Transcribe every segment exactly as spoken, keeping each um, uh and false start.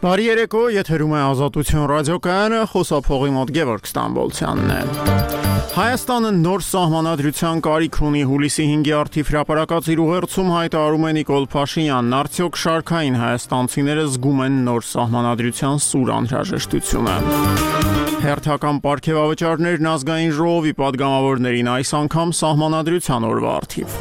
Բարի երեկո, եթերում է Ազատություն ռադիոկայանը, խոսափողի մոտ Գևորգ Ստամբոլցյանն է։ Հայաստանը նոր սահմանադրության կարիք ունի, հուլիսի հինգի արդիվ հրապարակած իր ուղերձում հայտարարում է Նիկոլ Փաշինյանն, արդյոք շարքային հայաստանցիները զգում են նոր սահմանադրության սուր անհրաժեշտությունը։ Հերթական պարգևավճարներն ազգային ժողովի պատգամավորներին այս անգամ սահմանադրության օրվա արդիվ։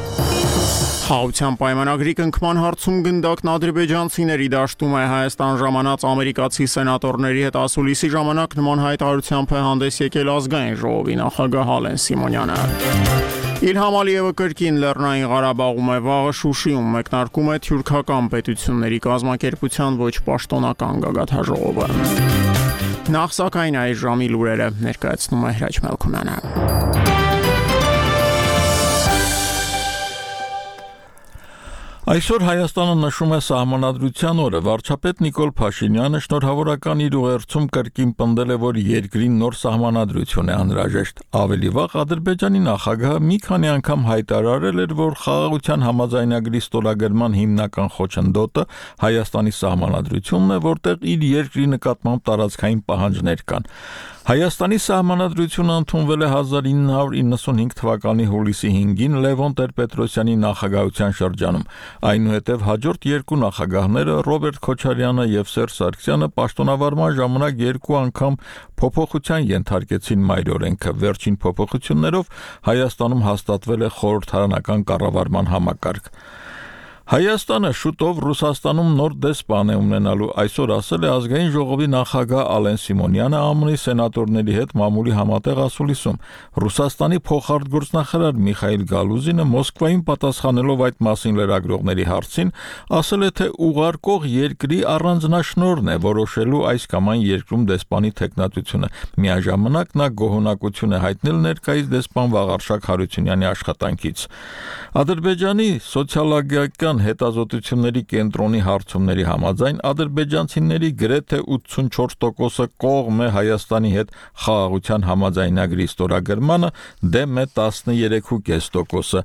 Խաղաղության պայմանագրի կնքման հարցում գնդակն ադրբեջանցիների դաշտում է Հայաստան ժամանած ամերիկացի սենատորների հետ ասուլիսի ժամանակ նման հայտարարությամբ է հանդես եկել ազգային ժողովի նախագահ Ալեն Սիմոնյանը։ Իլհամ Ալիևը կրկին Լեռնային Ղարաբաղում է, վաղը Շուշիում մեկնարկում է թյուրքական պետությունների կազմակերպության ոչ պաշտոնական գագաթաժողովը։ Նախ սակայն այս ժամի լուրերը ներկայացնում է Հրաչ Մելքումյանը։ Այսօր Հայաստանը նշում է սահմանադրության օրը, վարչապետ Նիկոլ Փաշինյանը շնորհավորական իր ուղերձում կրկին պնդել է, որ երկրին նոր սահմանադրություն է անհրաժեշտ։ Ավելի վաղ Ադրբեջանի նախագահը մի քանի անգամ հայտարարել էր, որ խաղաղության համաձայնագրի ստորագրման հիմնական խոչընդոտը Հայաստանի սահմանադրությունն է, որտեղ իր երկրի նկատմամբ տարածքային պահանջներ կան։ Հայաստանի սահմանադրությունը ընդունվել է հազար ինը հարյուր իննսունհինգ թվականի հուլիսի հինգին Լևոն Տեր-Պետրոսյանի նախագահության շրջանում։ Այնուհետև հաջորդ երկու նախագահները Ռոբերտ Քոչարյանը եւ Սերժ Սարգսյանը պաշտոնավարման ժամանակ երկու անգամ փոփոխության ենթարկեցին մայրօրենքը։ Վերջին փոփոխություններով Հայաստանում հաստատվել է խորհրդարանական կառավարման համակարգ։ Հայաստանը շուտով Ռուսաստանում նոր դեսպան է ունենալու, այսօր ասել է ազգային ժողովի նախագահ Ալեն Սիմոնյանը ԱՄՆ-ի սենատորների հետ մամուլի համատեղ ասուլիսում։ Ռուսաստանի փոխարտգործնախարար Միխայիլ Գալուզինը Մոսկվայում պատասխանելով այդ մասին լրագրողների հարցին, ասել է, թե ուղարկող երկրի առանձնաշնորհն է որոշելու այս կամ այն երկրում դեսպանի թեկնածությունը։ Միաժամանակ նա գոհունակություն է հայտնել ներկայիս դեսպան Վաղարշակ Հարությունյանի աշխատանքից։ Ադրբեջանի սոցիոլոգիական հետազոտությունների կենտրոնի հարցումների համաձայն ադրբեջանցիների գրեթե ութսունչորս տոկոսը կողմ է Հայաստանի հետ խաղաղության համաձայնագրի ստորագրմանը, դեմ է տասներեք կόμμα պենս տոկոսը։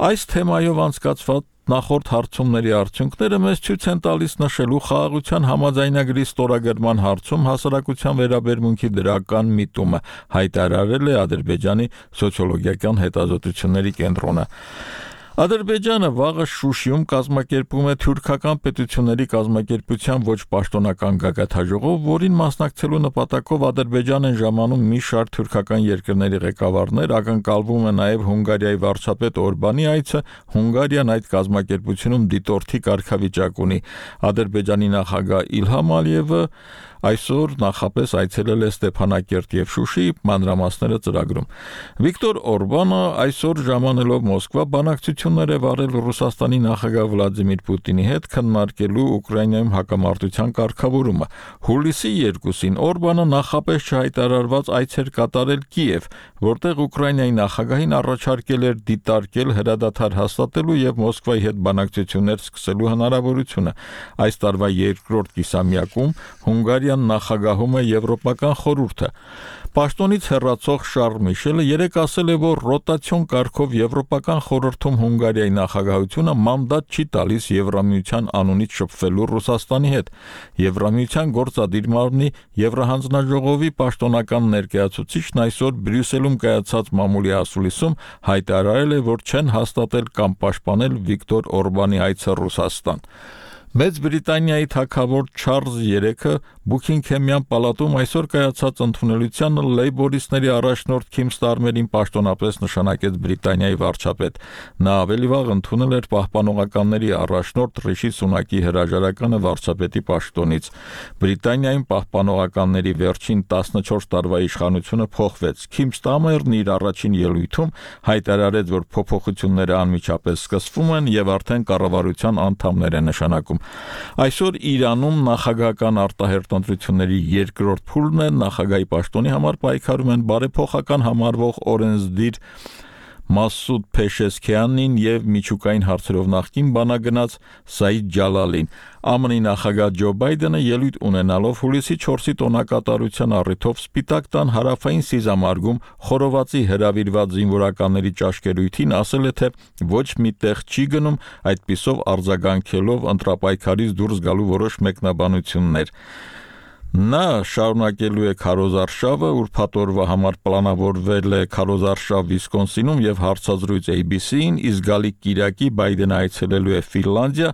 Այս թեմայով անցկացված նախորդ հարցումների արդյունքները մեզ ցույց են տալիս նշելու խաղաղության համաձայնագրի ստորագրման հարցում հասարակության վերաբերմունքի դրական միտումը, հայտարարել է Ադրբեջանի սոցիոլոգիական հետազոտությունների կենտրոնը։ Ադրբեջանը վաղը Շուշիում կազմակերպում է թյուրքական պետությունների կազմակերպության ոչ պաշտոնական գագաթաժողով, որին մասնակցելու նպատակով Ադրբեջան են ժամանում մի շարք թյուրքական երկրների ղեկավարներ, ակնկալվում է նաև Հունգարիայի վարչապետ Օրբանի այցը, Հունգարիան այդ կազմակերպությունում դիտորդի կարգավիճակ ունի։ Ադրբեջանի նախագահ Իլհամ Ալիևը այսօր նախապես այցելել է Ստեփանակերտ եւ Շուշի, մանրամասները ծրագրում։ Վիկտոր Օրբանը այսօր ժամանելով Մոսկվա բանակցություններ է վարել Ռուսաստանի նախագահ Վլադիմիր Պուտինի հետ քննարկելու Ուկրաինայում հակամարտության կարգավորումը։ Հուլիսի երկուսին Օրբանը նախապես չհայտարարված այց էր կատարել Կիև, որտեղ Ուկրաինայի նախագահին առաջարկել էր դիտարկել հրադադար հաստատելու եւ Մոսկվայի հետ բանակցություններ սկսելու հնարավորությունը։ Այս տարվա երկրորդ կիսամյակում Հունգարիան նախագահում է Եվրոպական խորհուրդը։ Պաշտոնից հեռացող Շարլ Միշելը երեկ ասել է, որ ռոտացիոն կարգով Եվրոպական խորհրդում Հունգարիայի նախագահությունը մանդատ չի տալիս Եվրամիության անունից շփվելու Ռուսաստանի հետ։ Եվրամիության գործադիր մարմնի Եվրահանձնաժողովի պաշտոնական ներկայացուցիչն այսօր Բրյուսելում կայացած մամուլի ասուլիսում հայտարարել է, որ չեն հաստատել կամ պաշտպանել Վիկտոր Օրբանի այցը Ռուսաստան։ Մեծ Բրիտանիայի թագավոր Չարլզ երեքը Բուքինգհեմյան պալատում այսօր կայացած ընդունելությանը լեյբորիստների առաջնորդ Քիմ Ստարմերին պաշտոնապես նշանակեց Բրիտանիայի վարչապետ։ Նա ավելի վաղ ընդունել էր պահպանողականների առաջնորդ Ռիշի Սունակի հրաժարականը վարչապետի պաշտոնից։ Բրիտանիայում պահպանողականների վերջին տասնչորս տարվա իշխանությունը փոխվեց։ Քիմ Ստարմերն իր առաջին ելույթում հայտարարեց, որ փոփոխությունները անմիջապես սկսվում են եւ արդեն կառավարության անդամներ են նշանակում։ Այսօր Իրանում նախագահական արտահերտ ընտրությունների երկրորդ փուլն է, նախագահի պաշտոնի համար պայքարում են բարեփոխական համարվող օրենսդիր Մասուդ Փեշեսքյանին եւ միջուկային հարցերով նախկին բանագնաց Սաիդ Ջալալին։ ԱՄՆ-ի նախագահ Ջո Բայդենը ելույթ ունենալով հուլիսի չորսի տոնակատարության առիթով Սպիտակ տան հարավային սիզամարգում խորովածի հրավիրված զինվորականների ճաշկերույթին ասել է, թե ոչ մի տեղ չի գնում, այդպիսով արձագանքելով ընտրապայքարից դուրս գալու որոշ մեկնաբանություններ։ Նա շարունակելու է քարոզարշավը, ուրբաթ օրվա համար պլանավորվել է քարոզարշավ Վիսկոնսինում եւ հարցազրույց A B C-ին, իսկ գալիք կիրակի Բայդենը այցելելու է Ֆինլանդիա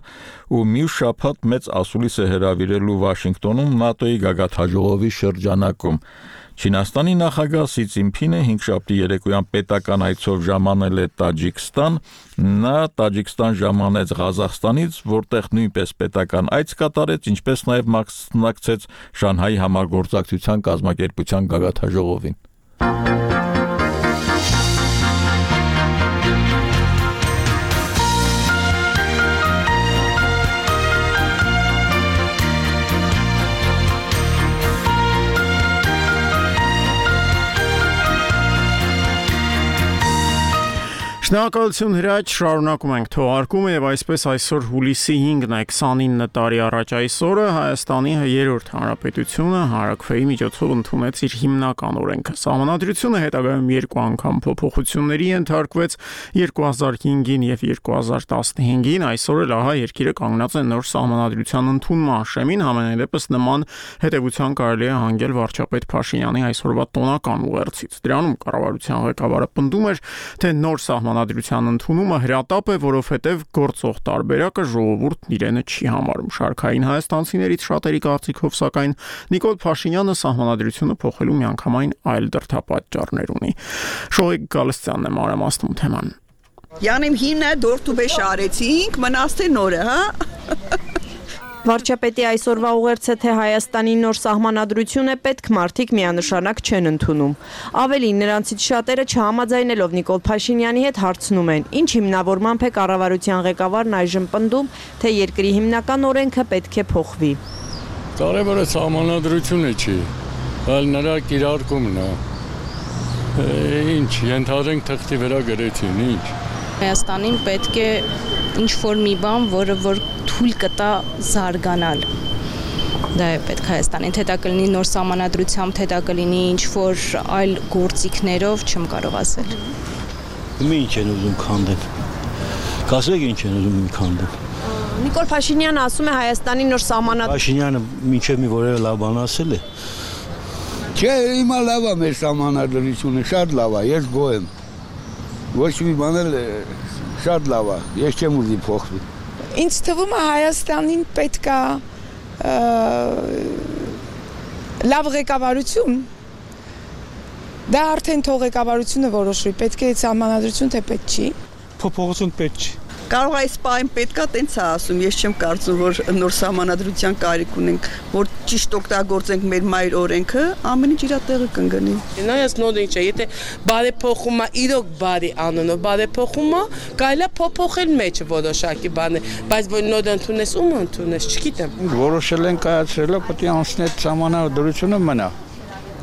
ու մյուս շաբաթ մեծ ասուլիս է հրավիրելու Վաշինգտոնում ՆԱՏՕ-ի գագաթնաժողովի շրջանակում։ Չինաստանի նախագահ Սի Ցզինփինը հինգշաբթի երեկոյան պետական այցով ժամանել է Տաջիկստան, նա Տաջիկստան ժամանեց Ղազախստանից, որտեղ նույնպես պետական այց կատարեց, ինչպես նաև մասնակցեց Շանհայի համագործակցության կազմակերպության գագաթնաժողովին։ Շնորհակալություն Հրաչ, շարունակում ենք թողարկումը եւ այսպես այսօր հուլիսի հինգն է քսանինը տարի առաջ այսօրը Հայաստանի երրորդ հանրապետությունը Հարաքվեի միջոցով ընդունեց իր հիմնական օրենքը։ Սահմանադրությունը հետագայում երկու անգամ փոփոխությունների ենթարկվեց երկու հազար հինգին եւ երկու հազար տասնհինգին, այսօր էլ ահա երկիրը կանգնած է նոր սահմանադրության ընդունման շեմին, համենայն դեպս նման հետեւության կարելի է հանգել վարչապետ Փաշինյանի այսօրվա տոնական ուղերձից։ Դրանում կառավարության ղեկավարը պնդում էր, թե նոր Սահմանադրության ընդունումը հրատապ է, որովհետև գործող տարբերակը ժողովուրդն իրենը չի համարում։ Շարքային հայաստանցիներից շատերի կարծիքով, սակայն Նիկոլ Փաշինյանը սահմանադրությունը փոխելու միանգամայն այլ դրդապատճառներ ունի։ Շոյիկ Գալստյանն է մանրամասնում թեման։ Յանիմ հինը դորտուբեշ արեցինք, մնացте նորը, հա։ Վարչապետի այսօրվա ուղերձը, թե Հայաստանի նոր սահմանադրություն է, պետք մարդիկ միանշանակ չեն ընդունում։ Ավելին, նրանցից շատերը չհամաձայնելով Նիկոլ Փաշինյանի հետ հարցնում են, ինչ հիմնավորմամբ է կառավարության ղեկավարն այժմ պնդում, թե երկրի հիմնական օրենքը պետք է փոխվի։ Կարևորը սահմանադրությունը չի, այլ նրա կիրարկումն է։ Ինչ, ենթադրենք թղթի վրա գրեցին, ինչ։ Հայաստանին պետք է ինչ-որ մի բան, որը որ թույլ կտա զարգանալ։ Դա է պետք Հայաստանին, թե դա կլինի նոր սահմանադրությամբ, թե դա կլինի ինչ-որ այլ գործիքներով, չեմ կարող ասել։ Ումի ինչ են ուզում քանդել։ Կասեք ինչ են ուզում քանդել։ Նիկոլ Փաշինյանը ասում է Հայաստանի նոր սահմանադրություն։ Փաշինյանը մինչև մի որևէ լավ բան ասել է։ Չէ, հիմա լավ է մեր սահմանադրությունը, շատ լավ է, ես գոհ եմ։ Ոչ մի բան էլ շատ լավ է, ես չեմ ուզի փոխվի։ Ինձ թվում է Հայաստանին պետք է լավ ղեկավարություն, դա արդեն թող ղեկավարությունը որոշվի, պետք է սահմանադրություն, թե պետք չի։ Փոփոխություն պետք չի։ Կարող է այս պահին պետքա տենց է ասում, ես չեմ կարծում, որ նոր սահմանադրության կարիք ունենք, որ ճիշտ օգտագործենք մեր մայր օրենքը, ամեն ինչ իր տեղը կընկնի։ Նայած նոդինչ է, եթե բարեփոխում է, իրոք բարի անունով բարեփոխում է, կարելի է փոփոխել մեջը որոշակի բաներ, բայց որ նոդ ընդունես, ում ընդունես, չգիտեմ։ Որոշել են կայացրել, պետք է անցնել սահմանադրությունը մնա։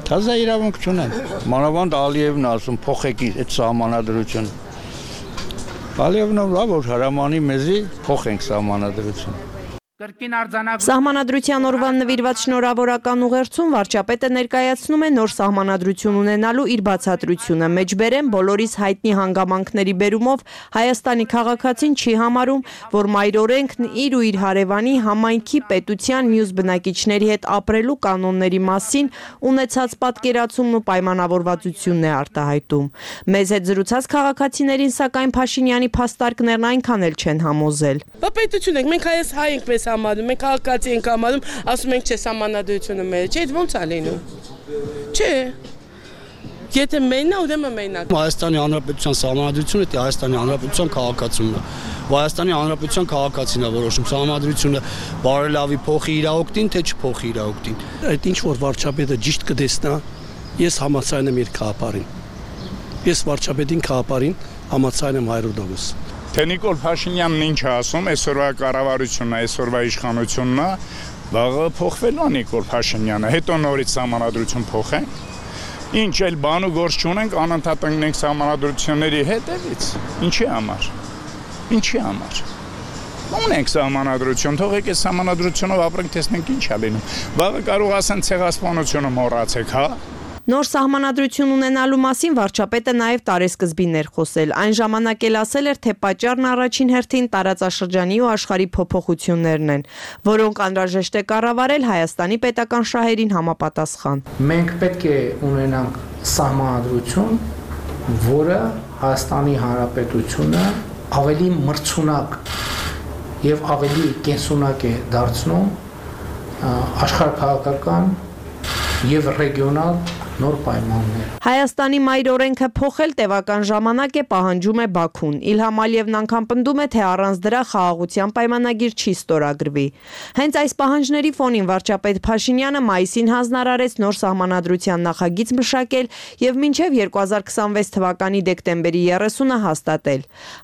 Թազա իրավունք չունեն։ Մանավանդ Ալիևն ասում փոխեք այդ սահմանադրությունը։ Ալիևն լավ որ հրամանի մեզի փոխենք սահմանադրությունը։ Սահմանադրության օրվան նվիրված շնորհավորական ուղերձում վարչապետը ներկայացնում է նոր սահմանադրություն ունենալու իր բացատրությունը։ Մեջբերեն բոլորիս հայտնի հանգամանքների բերումով Հայաստանի քաղաքացին չի համարում, որ մայր օրենքն իր ու իր հարևանի համայնքի պետության մյուս բնակիչների հետ ապրելու կանոնների մասին ունեցած պատկերացումն ու պայմանավորվածությունն է արտահայտում։ Մեզ հետ զրուցած քաղաքացիներին սակայն Փաշինյանի փաստարկներն այնքան էլ չեն համոզել։ Բա պետություն ենք, մենք հայս հայ ենք մեզ համարում, մենք քաղաքացի ենք համարում, ասում ենք չէ սահմանադրությունը մեր, չէ, ո՞նց է լինում։ Չէ։ Եթե մենա, ուրեմն մենակ։ Հայաստանի Հանրապետության սահմանադրությունը դա Հայաստանի Հանրապետության քաղաքացիությունն է։ Հայաստանի Հանրապետության քաղաքացին է որոշում սահմանադրությունը բարելավի փոխի իր օգտին, թե չփոխի իր օգտին։ Այդ ինչ որ վարչապետը ճիշտ կտեսնա, ես համաձայն եմ իր քաղաքարին։ Ես վարչապետին քաղաքարին համաձայն եմ հայրով դոգոս։ Թե Նիկոլ Փաշինյանն ինչ է ասում, այսօրվա կառավարությունն է, այսօրվա իշխանությունն է, վաղը փոխվելու է Նիկոլ Փաշինյանը, հետո նորից սահմանադրություն փոխեն։ Ինչ էլ բան ու գործ չունենք, անընդհատ ընկնենք սահմանադրությունների հետևից։ Ինչի համար։ Ինչի համար։ Ունենք սահմանադրություն, թողեք այս սահմանադրությունով ապրենք, տեսնենք ինչ է լինում։ Վաղը կարող ասեն ցեղասպանությունը մոռացեք, հա։ Նոր սահմանադրություն ունենալու մասին վարչապետը նաև տարեսկզբին էր խոսել։ Այն ժամանակ էլ ասել էր, թե պատճառն առաջին հերթին տարածաշրջանի ու աշխարհի փոփոխություններն են, որոնք անհրաժեշտ է կառավարել Հայաստանի պետական շահերին համապատասխան։ Մենք պետք է ունենանք սահմանադրություն, որը Հայաստանի Հանրապետությունը ավելի մրցունակ եւ ավելի կենսունակ է դարձնում աշխարհաքաղաքական եւ ռեգիոնալ նոր պայմաններ։ Հայաստանի մայր օրենքը փոխել տևական ժամանակ է պահանջում է Բաքուն։ Իլհամ Ալիևն անգամ պնդում է, թե առանց դրա խաղաղության պայմանագիր չի ստորագրվի։ Հենց այս պահանջների ֆոնին վարչապետ Փաշինյանը մայիսին հանձնարարեց նոր սահմանադրության նախագիծ մշակել եւ մինչեւ երկու հազար քսանվեց թվականի դեկտեմբերի երեսունը հաստատել։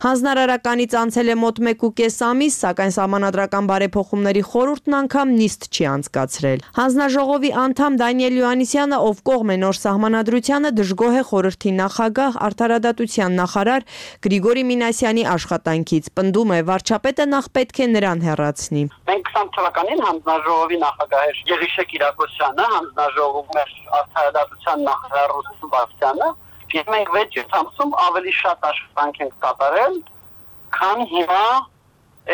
Հանձնարարականից անցել է մոտ մեկ ու կես ամիս, սակայն սահմանադրական բարեփոխումների խորհուրդն անգամ նիստ չի անցկացրել։ Հանձնաժողովի անդամ Դանիել Յուաննիսյանը, ով կողմ է նոր սահմանադրությանը, դժգոհ է խորհրդի նախագահ, արդարադատության նախարար Գրիգորի Մինասյանի աշխատանքից։ Պնդում է, վարչապետը նախ պետք է նրան հեռացնի։ Մենք քսան թվականին հանձնաժողովի նախագահ էր Գեղիշե Կիրակոսյանը, հանձնաժողովում էր արդարադատության նախարար Ռուստամ Բաղդասարյանը, եւ մենք վեց ամսում ավելի շատ աշխատանք ենք կատարել, քան հիմա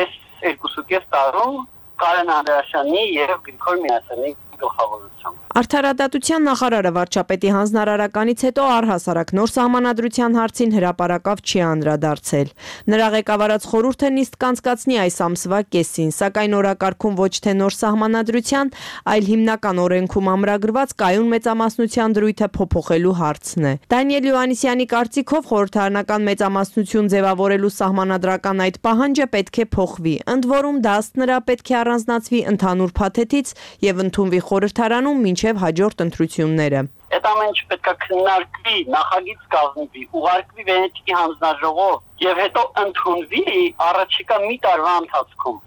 այս երկուսուկես տարում Կարեն Անդրեասյանի եւ Գրիգոր Մինասյանի գլխավորությամբ։ Արդարադատության նախարարը վարչապետի հանձնարարականից հետո առհասարակ նոր սահմանադրության հարցին հրապարակավ չի անդրադարձել։ Նրա ղեկավարած խորհուրդը նիստ կանցկացնի այս ամսվա կեսին, սակայն օրակարգում ոչ թե նոր սահմանադրության, այլ հիմնական օրենքում ամրագրված կայուն մեծամասնության դրույթը փոփոխելու հարցն է։ Դանիել Յուաննիսյանի կարծիքով խորհրդարանական մեծամասնություն ձևավորելու սահմանադրական այդ պահանջը պետք է փոխվի, ընդ որում դա ըստ նրա պետք է առանձնացվի ընդհանուր փաթեթից եւ ընդունվի խորհրդարանում մինչև հաջորդ ընտրությունները։ Այդ ամենը պետք է քննարկվի, նախագիծ կազմվի, ուղարկվի Վենետիկի հանձնաժողով եւ հետո ընդունվի առաջիկա մի տարվա ընթացքում,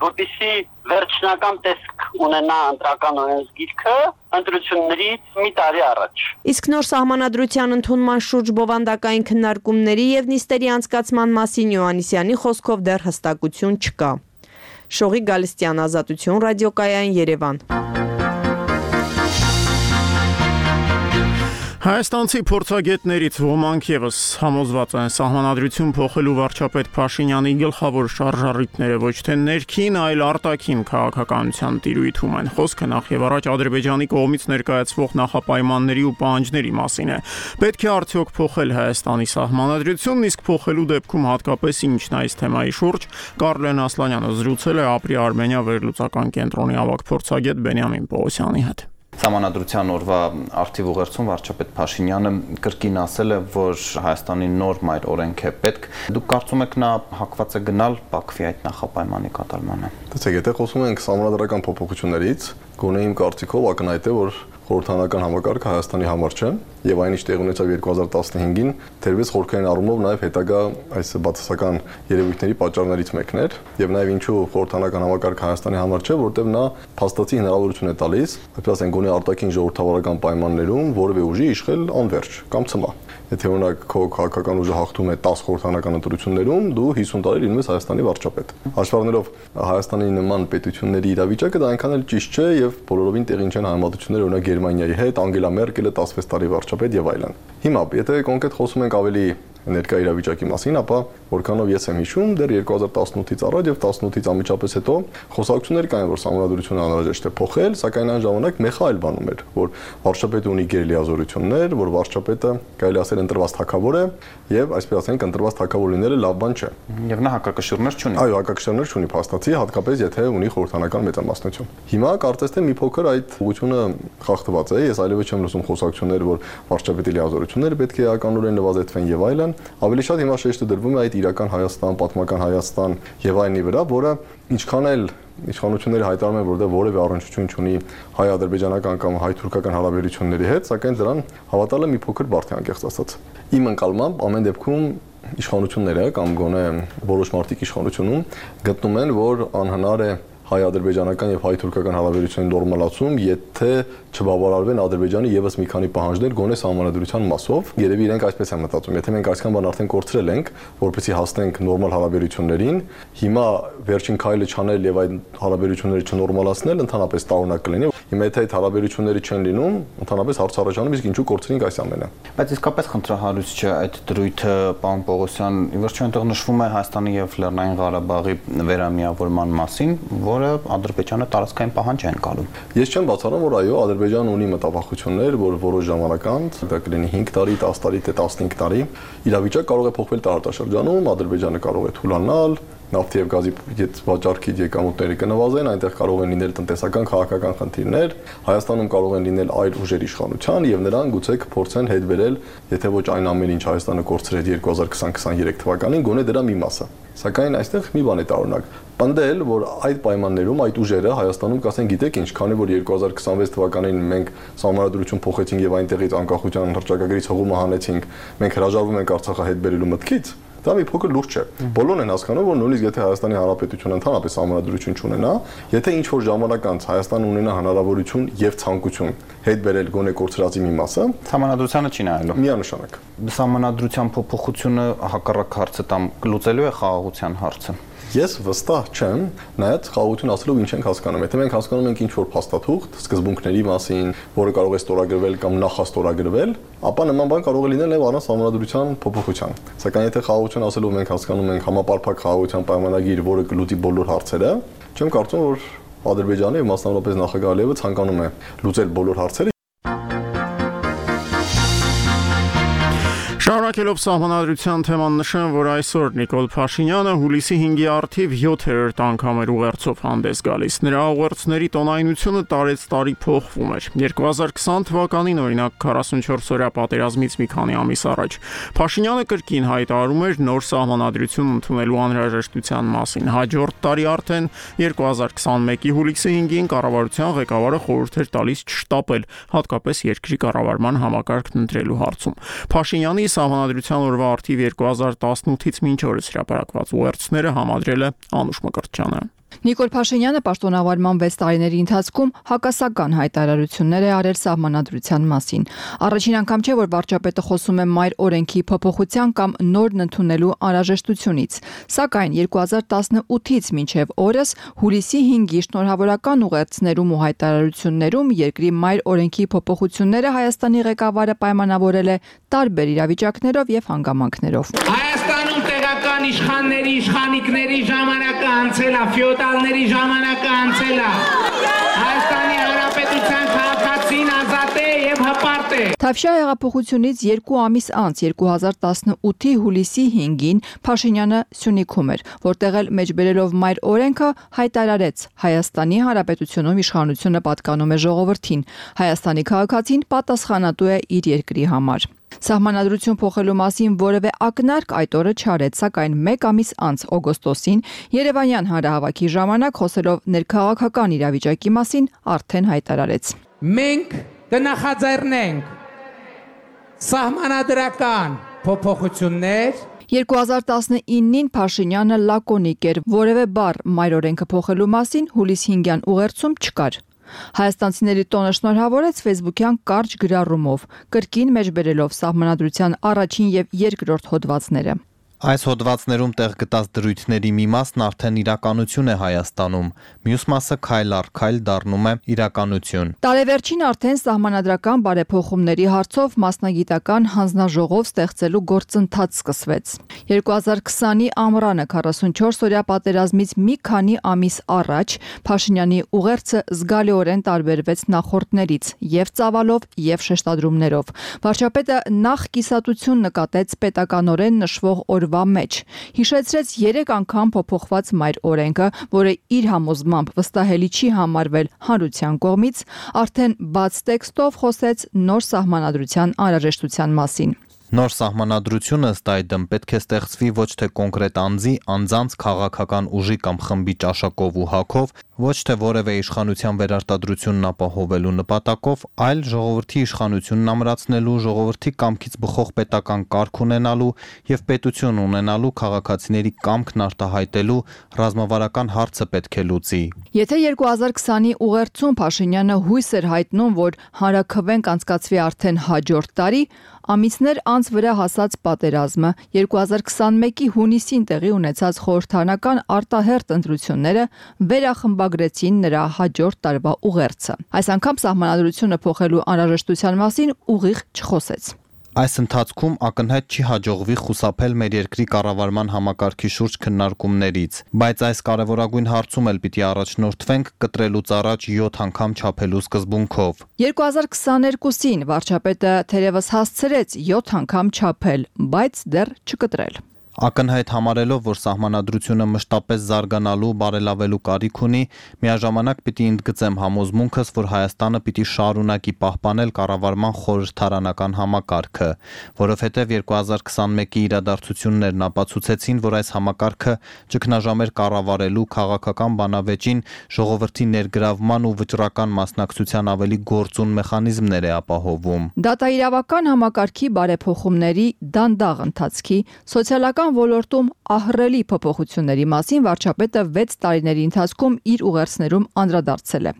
որպեսզի վերջնական տեսք ունենա ընտրական օրենսգիրքը ընտրություններից մի տարի առաջ։ Իսկ նոր սահմանադրության ընդունման շուրջ բովանդակային քննարկումների եւ նիստերի անցկացման մասին Յուաննիսյանի խոսքով դեռ հստակություն չկա։ Շողի Գալստյան, Ազատություն, ռադիոկայան, Երևան։ Հայաստանցի փորձագետներից ոմանք եւս համոզված են սահմանադրություն փոխելու վարչապետ Փաշինյանի գլխավոր շարժառիթները ոչ թե ներքին, այլ արտաքին քաղաքականության տիրույթում են։ Խոսքը նախ եւ առաջ Ադրբեջանի կողմից ներկայացվող նախապայմանների ու պահանջների մասին է։ Պետք է արդյոք փոխել Հայաստանի սահմանադրությունն, իսկ փոխելու դեպքում հատկապես ինչն այս թեմայի շուրջ Կարլեն Ասլանյանը զրուցել է Ապրի Արմենիա վերլուծական կենտրոնի ավագ փորձագետ Բենյամին Պողոսյանի հետ։ Սահմանադրության օրվա արդիվ ուղերձում վարչապետ Փաշինյանը կրկին ասել է, որ Հայաստանի նոր մայր օրենք է պետք։ Դուք կարծում եք նա հակված է գնալ Բաքվի այդ նախապայմանի կատարմանը։ Տեսեք, եթե խոսում ենք սահմանադրական փոփոխություններից, գոնե իմ կարծիքով ակնհայտ է, որ խորհրդարանական համակարգը Հայաստանի համար չէ եւ այն ինչ տեղի ունեցավ երկու հազար տասնհինգին թերևս խորհրդային առումով նաեւ հետագա այս բացասական երևույթների պատճառներից մեկն էր եւ նաեւ ինչու խորհրդարանական համակարգը Հայաստանի համար չէ, որտեղ նա փաստացի հնարավորություն է տալիս, այսպես ասենք, գոնե արտաքին ժողովրդավարական պայմաններում որևէ ուժի իշխել անվերջ կամ ցմա։ Եթե օրինակ քո քաղաքական ուժը հաղթում է դաս խորհրդարանական ընտրություններում, դու հիսուն տարի լինում ես Հայաստանի վարչապետ։ Հաշվառելով Հայաստանի նման պետությունների իրավիճակը, դա այնքան էլ ճիշտ չէ եւ բոլորովին տեղին չեն համեմատությունները օրինակ Գերմանիայի հետ, Անգելա Մերկելը տասնվեց տարի վարչապետ եւ այլն։ Հիմա, եթե կոնկրետ խոսում ենք ավելի ներկա իրավիճակի մասին, ապա որքանով ես եմ հիշում, դեռ երկու հազար տասնութից առաջ եւ տասնութից անմիջապես հետո խոսակցություններ կային, որ սահմանադրությունը անհրաժեշտ է փոխել, սակայն այն ժամանակ մեխա այլ բանում էր, որ վարչապետը ունի գերլիազորություններ, որ վարչապետը կարելի ասել ընտրված թագավոր է եւ այսպես ասենք ընտրված թագավոր լինելը լավ բան չէ։ Եվ նա հակակշիռներ չունի։ Այո, հակակշիռներ չունի փաստացի, հատկապես եթե ունի խորհրդարանական մեծամասնություն։ Հիմա կարծես թե մի փոքր այդ ուղղությունը խախտված է, ես այլևս չեմ լսում խոսակցություններ, որ վարչապետի լիազորությունները պետք է էականորեն նվազեցվեն եւ այլն։ Ավելի շատ հիմա շեշտը դրվում է այդ իրական Հայաստան, պատմական Հայաստան եւ այլնի վրա, որը ինչքան էլ իշխանությունները հայտարարում են, որտեղ որևէ առնչություն չունի հայ-ադրբեջանական կամ հայ-թուրքական հարաբերությունների հետ, սակայն դրան հավատալը մի փոքր բարդ է անկեղծ ասած։ Իմ ընկալմամբ ամեն դեպքում իշխանությունները կամ գոնե որոշ մարդիկ իշխանությունում գտնում են, որ անհնար է հայ-ադրբեջանական եւ հայ-թուրքական հարաբերությունների նորմալացում, եթե չբավարարվեն Ադրբեջանի եւս մի քանի պահանջներ գոնե սահմանադրության մասով։ Երևի իրենք այսպես են մտածում, եթե մենք այսքան բան արդեն կորցրել ենք, որպեսզի հասնենք նորմալ հարաբերություններին, հիմա վերջին քայլը չանել եւ այդ հարաբերությունները չնորմալացնել ընդհանրապես տարօրինակ կլինի։ Հիմա եթե այդ հարաբերությունները չեն լինում, ընդհանրապես հարց առաջանում, իսկ ինչու կորցրինք այս ամենը։ Բայց իսկապես խնդրահարույց չէ այդ դրույթը, պարոն Պողոսյան, ի վերջո այնտեղ նշվում է Հայաստանի եւ Լեռնային Ղարաբաղի վերամիավորման մասին, որը Ադրբեջանը տարածքային պահանջ է ընկալում։ Ես չեմ բացառում, որ այո, Ադրբեջանը ունի մտավախություններ, որ որոշ ժամանակ անց, դա կլինի հինգ տարի, տասը տարի, թե տասնհինգ տարի, իրավիճակը կարող է փոխվել տարածաշրջանում, Ադրբեջանը կարող է թուլանալ, նավթի եւ գազի վաճառքի եկամուտները կնվազեն, այնտեղ կարող են լինել տնտեսական, քաղաքական խնդիրներ, Հայաստանում կարող են լինել այլ ուժեր իշխանության եւ նրանք գուցե կփորձեն հետ բերել, եթե ոչ այն ամեն ինչ Հայաստանը կորցրեց երկու հազար քսան քսաներեք թվականին, գոնե դրա մի մասը։ Սակայն այստեղ մի բան է տարօրինակ։ Պնդել, որ այդ պայմաններում այդ ուժերը Հայաստանում կասեն, գիտեք ինչ, քանի որ երկու հազար քսանվեց թվականին մենք սահմանադրություն փոխեցինք եւ այնտեղից անկախության հռչակագրից հողումը հանեցինք, մենք հրաժարվում ենք Արցախը հետ բերելու մտքից, դա մի փոքր լուրջ չէ։ Բոլորն են հասկանում, որ նույնիսկ եթե Հայաստանի Հանրապետությունը ընդհանրապես սահմանադրություն չունենա, եթե ինչ որ ժամանակ անց Հայաստանը ունենա հնարավորություն եւ ցանկություն հետ բերել գոնե կորցրածի մի մասը, սահմանադրությանը չի նայելու։ Միանշանակ։ Սահմանադրության փոփոխությունը հակառակ հարցը տամ լուծելու է խաղաղության հարցը։ Ես վստահ չեմ, նայած խաղաղություն ասելով ինչ ենք հասկանում։ Եթե մենք հասկանում ենք ինչ որ փաստաթուղթ սկզբունքների մասին, որը կարող է ստորագրվել կամ նախաստորագրվել, ապա նման բան կարող է լինել նաև առանց սահմանադրության փոփոխության։ Սակայն եթե խաղաղություն ասելով մենք հասկանում ենք համապարփակ խաղաղության պայմանագիր, որը կլուծի բոլոր հարցերը, չեմ կարծում, որ Ադրբեջանը եւ մասնավորապես նախագահ Ալիևը ցանկանում է լուծել բոլոր հարցերը։ Շարունակելով սահմանադրության թեման նշեմ, որ այսօր Նիկոլ Փաշինյանը հուլիսի հինգի առթիվ յոթերորդ անգամ էր ուղերձով հանդես գալիս։ Նրա ուղերձների տոնայնությունը տարեց տարի փոխվում էր։ երկու հազար քսան թվականին օրինակ քառասունչորս օրյա պատերազմից մի քանի ամիս առաջ Փաշինյանը կրկին հայտարարում էր նոր սահմանադրություն ընդունելու անհրաժեշտության մասին։ Հաջորդ տարի արդեն երկու հազար քսանմեկի հուլիսի հինգին կառավարության ղեկավարը խորհուրդ էր տալիս չշտապել, հատկապես երկրի կառավարման համակարգն ընտրելու հարցում։ Փաշինյանի Սահմանադրության օրվա արդիվ երկու հազար տասնութից մինչ օրս հրապարակված ուղերձները համադրել է Անուշ Մկրտչյանը։ Նիկոլ Փաշինյանը պաշտոնավարման վեց տարիների ընթացքում հակասական հայտարարություններ է արել սահմանադրության մասին։ Առաջին անգամ չէ, որ վարչապետը խոսում է մայր օրենքի փոփոխության կամ նորն ընդունելու անհրաժեշտությունից։ Սակայն երկու հազար տասնութից մինչև օրս հուլիսի հինգի շնորհավորական ուղերձներում ու հայտարարություններում երկրի մայր օրենքի փոփոխությունները Հայաստանի ղեկավարը պայմանավորել է տարբեր իրավիճակներով եւ հանգամանքներով։ Հայաստանում տեղական իշխանների, իշխանիկների ժամանակը անցել է, ֆեոդալների ժամանակը անցել է։ Հայաստանի Հանրապետության քաղաքացին ազատ է եւ հպարտ է։ Թավշյա հեղափոխությունից երկու ամիս անց երկու հազար տասնութի հուլիսի հինգին Փաշինյանը Սյունիքում էր, որտեղ էլ մեջբերելով մայր օրենքը հայտարարեց Հայաստանի Հանրապետությունում իշխանությունը պատկանում է ժողովրդին։ Հայաստանի քաղաքացին պատասխանատու է իր երկրի համար։ Սահմանադրություն փոխելու մասին որևէ ակնարկ այդ օրը չարեց, սակայն մեկ ամիս անց օգոստոսին Երևանյան հանրահավաքի ժամանակ խոսելով ներքաղաքական իրավիճակի մասին արդեն հայտարարեց. Մենք կնախաձեռնենք սահմանադրական փոփոխություններ։ երկու հազար տասնինին Փաշինյանը լակոնիկ էր, որևէ բառ մայր օրենքը փոխելու մասին հուլիս հինգյան ուղերձում չկար։ Հայաստանցիների տոնը շնորհավորեց ֆեյսբուքյան կարճ գրառումով, կրկին մեջբերելով սահմանադրության առաջին եւ երկրորդ հոդվածները։ Այս հոդվածներում տեղ գտած դրույթների մի մասն արդեն իրականություն է Հայաստանում, մյուս մասը քայլ առ քայլ դառնում է իրականություն։ Տարեվերջին արդեն սահմանադրական բարեփոխումների հարցով մասնագիտական հանձնաժողով ստեղծելու գործընթաց սկսվեց։ երկու հազար քսանի ամռանը քառասունչորս օրյա պատերազմից մի քանի ամիս առաջ Փաշինյանի ուղերձը զգալիորեն տարբերվեց նախորդներից եւ ծավալով եւ շեշտադրումներով։ Վարչապետը նախ կիսատություն նկատեց պետականորեն նշվող օր մեջ հիշեցրեց երեք անգամ փոփոխված մայր օրենքը, որը իր համոզմամբ վստահելի չի համարվել հանրության կողմից, արդեն բաց տեքստով խոսեց նոր սահմանադրության անհրաժեշտության մասին։ Նոր սահմանադրությունը ըստ այդմ պետք է ստեղծվի ոչ թե կոնկրետ անձի, անձանց քաղաքական ուժի կամ խմբի ճաշակով ու հագով, ոչ թե որևէ իշխանության վերարտադրությունն ապահովելու նպատակով, այլ ժողովրդի իշխանությունն ամրացնելու, ժողովրդի կամքից բխող պետական կարգ ունենալու եւ պետություն ունենալու քաղաքացիների կամքն արտահայտելու ռազմավարական հարցը պետք է լուծի։ Եթե երկու հազար քսանի ուղերձում Փաշինյանը հույս էր հայտնում, որ հանրաքվեն կանցկացվի արդեն հաջորդ տարի, ամիսներ անց վրա հասած պատերազմը, երկու հազար քսանմեկի հունիսին տեղի ունեցած խորհրդարանական արտահերթ ընտրությունները վերախմբագրեցին նրա հաջորդ տարվա ուղերձը։ Այս անգամ սահմանադրությունը փոխելու անհրաժեշտության մասին ուղիղ չխոսեց։ Այս ընթացքում ակնհայտ չի հաջողվի խուսափել մեր երկրի կառավարման համակարգի շուրջ քննարկումներից, բայց այս կարևորագույն հարցում էլ պիտի առաջնորդվենք կտրելուց առաջ յոթ անգամ չափելու սկզբունքով։ երկու հազար քսաներկուսին վարչապետը թերևս հասցրեց յոթ անգամ չափել, բայց դեռ չկտրել։ Ակնհայտ համարելով, որ սահմանադրությունը մշտապես զարգանալու, բարելավելու կարիք ունի, միաժամանակ պիտի ընդգծեմ համոզմունքս, որ Հայաստանը պիտի շարունակի պահպանել կառավարման խորհրդարանական համակարգը, որովհետև երկու հազար քսանմեկի իրադարձություններն ապացուցեցին, որ այս համակարգը ճգնաժամեր կառավարելու, քաղաքական բանավեճին, ժողովրդի ներգրավման ու վճռական մասնակցության ավելի գործուն մեխանիզմներ է ապահովում։ Դատաիրավական համակարգի բարեփոխումների դանդաղ ընթացքի, սոցիալական ոլորտում ահռելի փոփոխությունների մասին վարչապետը վեց տարիների ընթացքում իր ուղերձներում անդրադարձել է։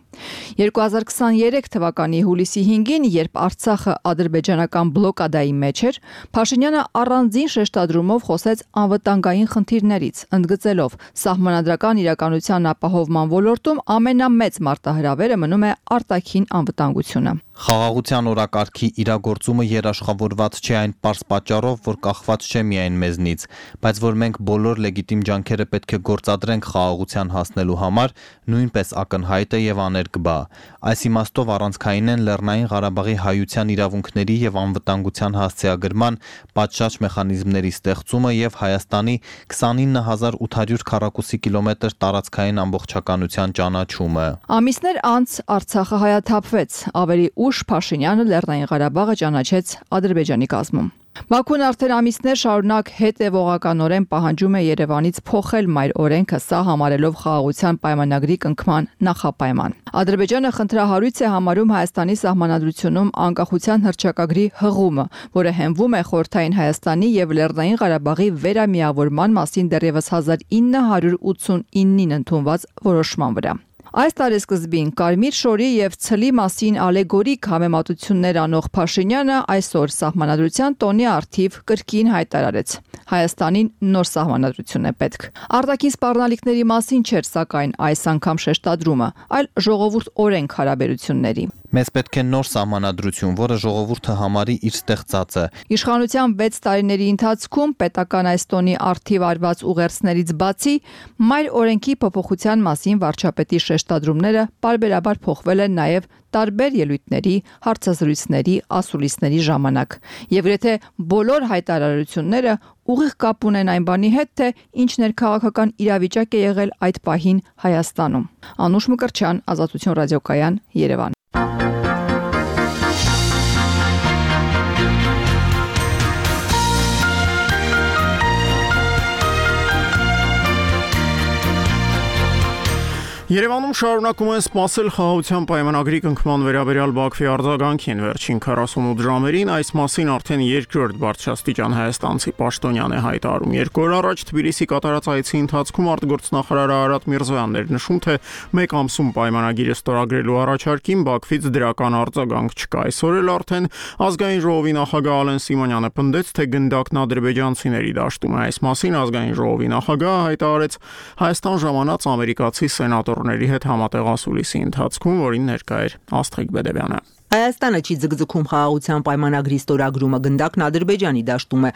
երկու հազար քսաներեք թվականի հուլիսի հինգին, երբ Արցախը ադրբեջանական բլոկադայի մեջ էր, Փաշինյանը առանձին շեշտադրումով խոսեց անվտանգային խնդիրներից, ընդգծելով սահմանադրական իրականության ապահովման ոլորտում ամենամեծ մարտահրավերը մնում է արտաքին անվտանգությունը։ Խաղաղության օրակարգի իրագործումը երաշխավորված չէ այն պարզ պատճառով, որ կախված չէ միայն մեզնից, բայց որ մենք բոլոր լեգիտիմ ջանքերը պետք է գործադրենք խաղաղության հասնելու համար, նույնպես ակնհայտ է եւ աներկբա։ Այս իմաստով առանցքային են Լեռնային Ղարաբաղի հայության իրավունքների եւ անվտանգության հասցեագրման պատշաճ մեխանիզմների ստեղծումը եւ Հայաստանի քսանինը հազար ութ հարյուր քառակուսի կիլոմետր տարածքային ամբողջականության ճանաչումը։ Ամիսներ անց Արցախը հայաթափվեց, ավելի ուշ Փաշինյանը Լեռնային Ղարաբաղը ճանաչեց Ադրբեջանի կազմում։ Բաքուն արդեն ամիսներ շարունակ հետևողականորեն պահանջում է Երևանից փոխել մայր օրենքը, սա համարելով խաղաղության պայմանագրի կնքման նախապայման։ Ադրբեջանը խնդրահարույց է համարում Հայաստանի սահմանադրությունում անկախության հռչակագրի հղումը, որը հենվում է Խորհրդային Հայաստանի եւ Լեռնային Ղարաբաղի վերամիավորման մասին դեռևս հազար ինը հարյուր ութսունինին ընդունված որոշման վրա։ Այս տարեսկզբին Կարմիր շորի եւ ցլի մասին ալեգորիկ համեմատություններ անող Փաշինյանը այսօր սահմանադրության տոնի առթիվ կրկին հայտարարեց. Հայաստանին նոր սահմանադրություն է պետք։ Արտաքին սպառնալիքների մասին չէր սակայն այս անգամ շեշտադրումը, այլ ժողովուրդ օրենք հարաբերությունների։ Մեզ պետք է նոր սահմանադրություն, որը ժողովուրդը համարի իր ստեղծածը։ Իշխանության վեց տարիների ընթացքում պետական այս տոնի առթիվ արված ուղերձներից բացի մայր օրենքի փոփոխության մասին վարչապետի շեշտադրումները պարբերաբար փոխվել են նաև տարբեր ելույթների, հարցազրույցների, ասուլիսների ժամանակ։ Եվ եթե բոլոր հայտարարությունները ուղիղ կապ ունեն այն բանի հետ, թե ինչ ներքաղաքական իրավիճակ է եղել այդ պահին Հայաստանում։ Անուշ Մկրտչյան, Ազատություն ռադիոկայան, Երևան։ Երևանում շարունակում են սպասել խաղաղության պայմանագրի կնքման վերաբերյալ Բաքվի արձագանքին վերջին քառասունութ ժամերին, այս մասին արդեն երկրորդ բարձրաստիճան հայաստանցի պաշտոնյան է հայտարարում։ Երկու օր առաջ Թբիլիսի կատարած այցի ընթացքում արտգործնախարար Արարատ Միրզոյանն էր նշում, թե մեկ ամսում պայմանագիրը ստորագրելու առաջարկին Բաքվից դրական արձագանք չկա։ Այսօր էլ արդեն ազգային ժողովի նախագահ Ալեն Սիմոնյանը պնդեց, թե գնդակն ադրբեջանցիների դաշտում է։ Այս մասին ազգային ժողովի նախագահը հայտարարեց Հայաստան ժամանած ամերիկացի սենատորների հետ համատեղ ասուլիսի ընթացքում, որին ներկա էր Աստղիկ Բեդևյանը։ Հայաստանը չի ձգձգում խաղաղության պայմանագրի ստորագրումը, գնդակն Ադրբեջանի դաշտում է։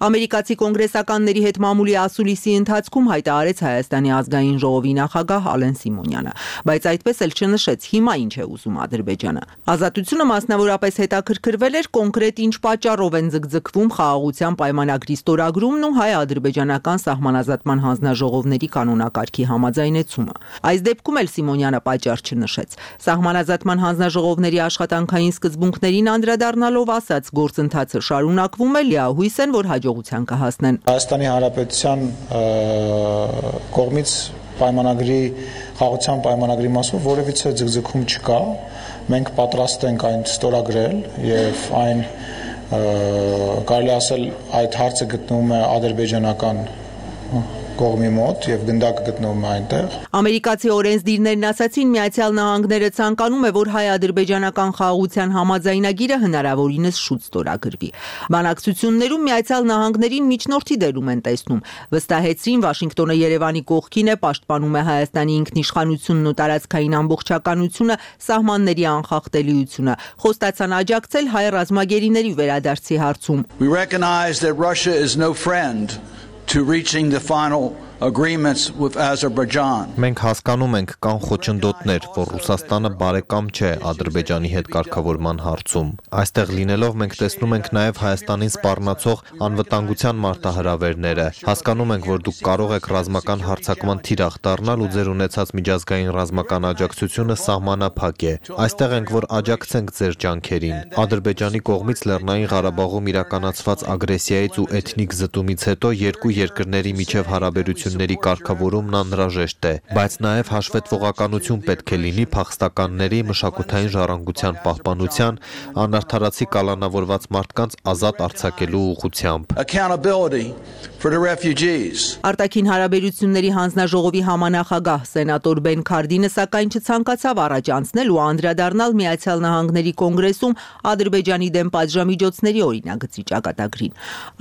Ամերիկացի կոնգրեսականների հետ մամուլի ասուլիսի ընթացքում հայտարարեց Հայաստանի ազգային ժողովի նախագահ Ալեն Սիմոնյանը, բայց այդպես էլ չնշեց հիմա ինչ է ուզում Ադրբեջանը։ Ազատությունը մասնավորապես հետաքրքրվել էր կոնկրետ ինչ պատճառով են ձգձգվում խաղաղության պայմանագրի ստորագրումն ու հայ-ադրբեջանական սահմանազատման հանձնաժողովների կանոնակարգի համաձայնեցումը։ Այս դեպքում էլ Սիմոնյանը պատճառ չնշեց։ Սահմանազատման հանձնաժողովների աշխատանք աշխատանքային սկզբունքներին անդրադառնալով ասաց, գործընթացը շարունակվում է, լիահույս են, որ հաջողության կհասնեն։ Հայաստանի Հանրապետության կողմից պայմանագրի խաղաղության պայմանագրի մասով որևիցե ձգձգում չկա։ Մենք պատրաստ ենք այն ստորագրել եւ այն կարելի ասել այդ հարցը գտնվում է ադրբեջանական կողմի մոտ եւ գնդակը գտնվում է այնտեղ։ Ամերիկացի օրենսդիրներն ասացին, Միացյալ Նահանգները ցանկանում է, որ հայ-ադրբեջանական խաղաղության համաձայնագիրը հնարավորինս շուտ ստորագրվի։ Բանակցություններում Միացյալ Նահանգներին միջնորդի դերում են տեսնում։ Վստահեցրին, Վաշինգտոնը Երևանի կողքին է, պաշտպանում է Հայաստանի ինքնիշխանությունն ու տարածքային ամբողջականությունը, սահմանների անխախտելիությունը։ Խոստացան աջակցել հայ ռազմագերիների վերադարձի հարցում։ We recognize that Russia is no friend to reaching the final agreements with Azerbaijan. Մենք հասկանում ենք կան խոչընդոտներ, որ Ռուսաստանը բարեկամ չէ Ադրբեջանի հետ կարգավորման հարցում։ Այստեղ լինելով մենք տեսնում ենք նաև Հայաստանին սպառնացող անվտանգության մարտահրավերները։ Հասկանում ենք, որ դուք կարող եք ռազմական հարձակման թիրախ դառնալ ու ձեր ունեցած միջազգային ռազմական աջակցությունը սահմանափակ է։ Այստեղ ենք, որ աջակցենք ձեր ջանքերին։ Ադրբեջանի կողմից Լեռնային Ղարաբաղում իրականացված ագրեսիայից ու էթնիկ զտումից հետո երկու երկրների միջև հարաբերությունները ների կարգավորումն անհրաժեշտ է, բայց նաև հաշվետվողականություն պետք է լինի փախստականների մշակութային ժառանգության պահպանության, անարդարացի կալանավորված մարդկանց ազատ արձակելու ուղղությամբ։ Արտաքին հարաբերությունների հանձնաժողովի համանախագահ սենատոր Բեն Քարդինը սակայն չցանկացավ առաջ անցնել ու անդրադառնալ Միացյալ Նահանգների կոնգրեսում Ադրբեջանի դեմ պատժամիջոցների օրինագծի ճակատագրին։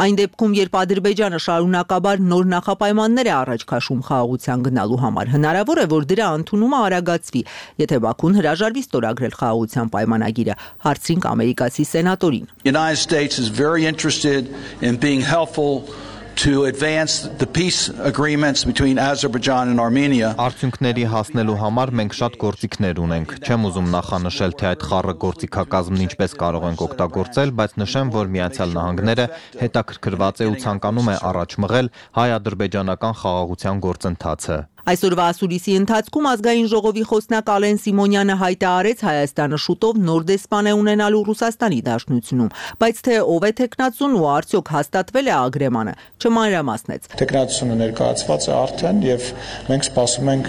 Այն դեպքում, երբ Ադրբեջանը շարունակաբար նոր նախապայմաններ է առաջ քաշում խաղաղության գնալու համար, հնարավոր է, որ դրա ընդունումը արագացվի, եթե Բաքուն հրաժարվի ստորագրել խաղաղության պայմանագիրը, հարցրինք ամերիկացի սենատորին։ United States is very interested in being helpful to advance the peace agreements between Azerbaijan and Armenia. Արդյունքների հասնելու համար մենք շատ գործիքներ ունենք։ Չեմ ուզում նախանշել, թե այդ խառը գործիքակազմն ինչպես կարող ենք օգտագործել, բայց նշեմ, որ Միացյալ Նահանգները հետաքրքրված է ու ցանկանում է առաջ մղել հայ-ադրբեջանական խաղաղության գործընթացը։ Այսօրվա ասուլիսի ընթացքում ազգային ժողովի խոսնակ Ալեն Սիմոնյանը հայտարարեց Հայաստանը շուտով նոր դեսպան է ունենալու Ռուսաստանի Դաշնությունում, բայց թե ով է տեխնացուն ու արդյոք հաստատվել է ագրեմանը, չմանրամասնեց։ Տեխնացությունը ներկայացված է արդեն եւ մենք սպասում ենք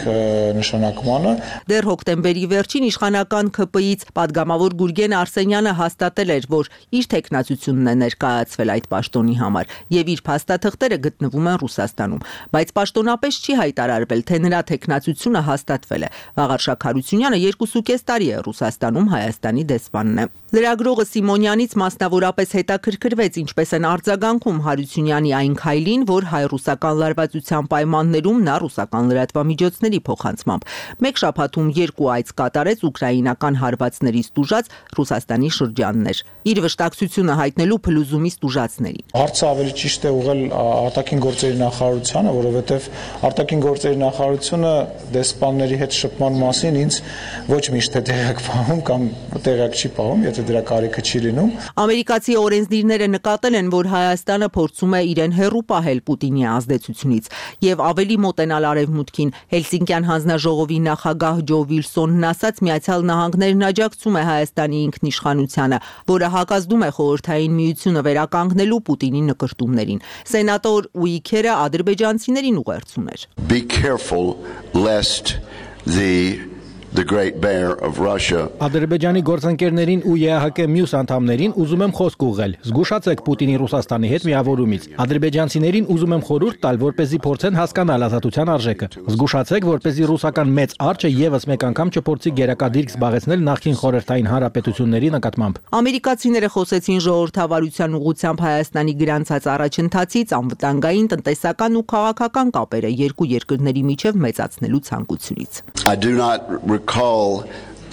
նշանակմանը։ Դեռ հոկտեմբերի վերջին իշխանական ՔՊ-ից падգամավոր Գուրգեն Արսենյանը հաստատել էր, որ իր տեխնացությունն է ներկայացվել այդ պաշտոնի համար եւ իր փաստաթղթերը գտնվում են Ռուսաստանում, բայց պաշտոնապես չի հայտարարվել, թե նրա տեխնացությունը հաստատվել է։ Վաղարշակ Հարությունյանը երկուսուկես տարի է Ռուսաստանում Հայաստանի դեսպանն է։ Լրագրողը Սիմոնյանից մասնավորապես հետաքրքրվեց, ինչպես են արձագանքում Հարությունյանի այն քայլին, որ հայ-ռուսական լարվածության պայմաններում նա ռուսական լրատվամիջոցների փոխանցմամբ մեկ շաբաթում երկու այց կատարեց ուկրաինական հարվածներից տուժած Ռուսաստանի շրջաններ։ Իր վշտակցությունը հայտնելու փլուզումից տուժածներին։ Հարցը ավելի ճիշտ է ուղղել արտաքին գործերի նախարարությանը, որովհետև արտաքին գործերի նախարարությունը դեսպանների հետ շփման մասին ինձ ոչ միշտ է տեղյակ պահում կամ տեղյակ չի պահում, եթե դրա կարիքը չի լինում։ Ամերիկացի օրենսդիրները նկատել են, որ Հայաստանը փորձում է իրեն հեռու պահել Պուտինի ազդեցությունից եւ ավելի մոտենալ արևմուտքին։ Հելսինկյան հանձնաժողովի նախագահ Ջո Վիլսոնն ասաց, Միացյալ Նահանգներն աջակցում է Հայաստանի ինքնիշխանությանը, որը հակազդում է խորհրդային միությունը վերականգնելու Պուտինի նկրտումներին։ Սենատոր Ուիքերը ադրբեջանցիներին ուղերձում էր։ Be careful lest the the great bear of Russia. Ադրբեջանի գործընկերներին ու ԵԱՀԿ մյուս անդամներին ուզում եմ խոսք ուղղել։ Զգուշացեք Պուտինի Ռուսաստանի հետ միավորումից։ Ադրբեջանցիներին ուզում եմ խորհուրդ տալ, որպեսզի փորձեն հասկանալ ազատության արժեքը։ Զգուշացեք, որպեսզի ռուսական մեծ արջը եւս մեկ անգամ չփորձի գերակադիրք զբաղեցնել նախկին խորհրդային հանրապետությունների նկատմամբ։ Ամերիկացիները խոսեցին ժողովրդավարության ուղղությամբ Հայաստանի գրանցած առաջընթացից, անվտանգային, տնտեսական ու քաղաքական կապերը երկու երկրների միջև մեծացնելու ցանկությունից։ I do not recall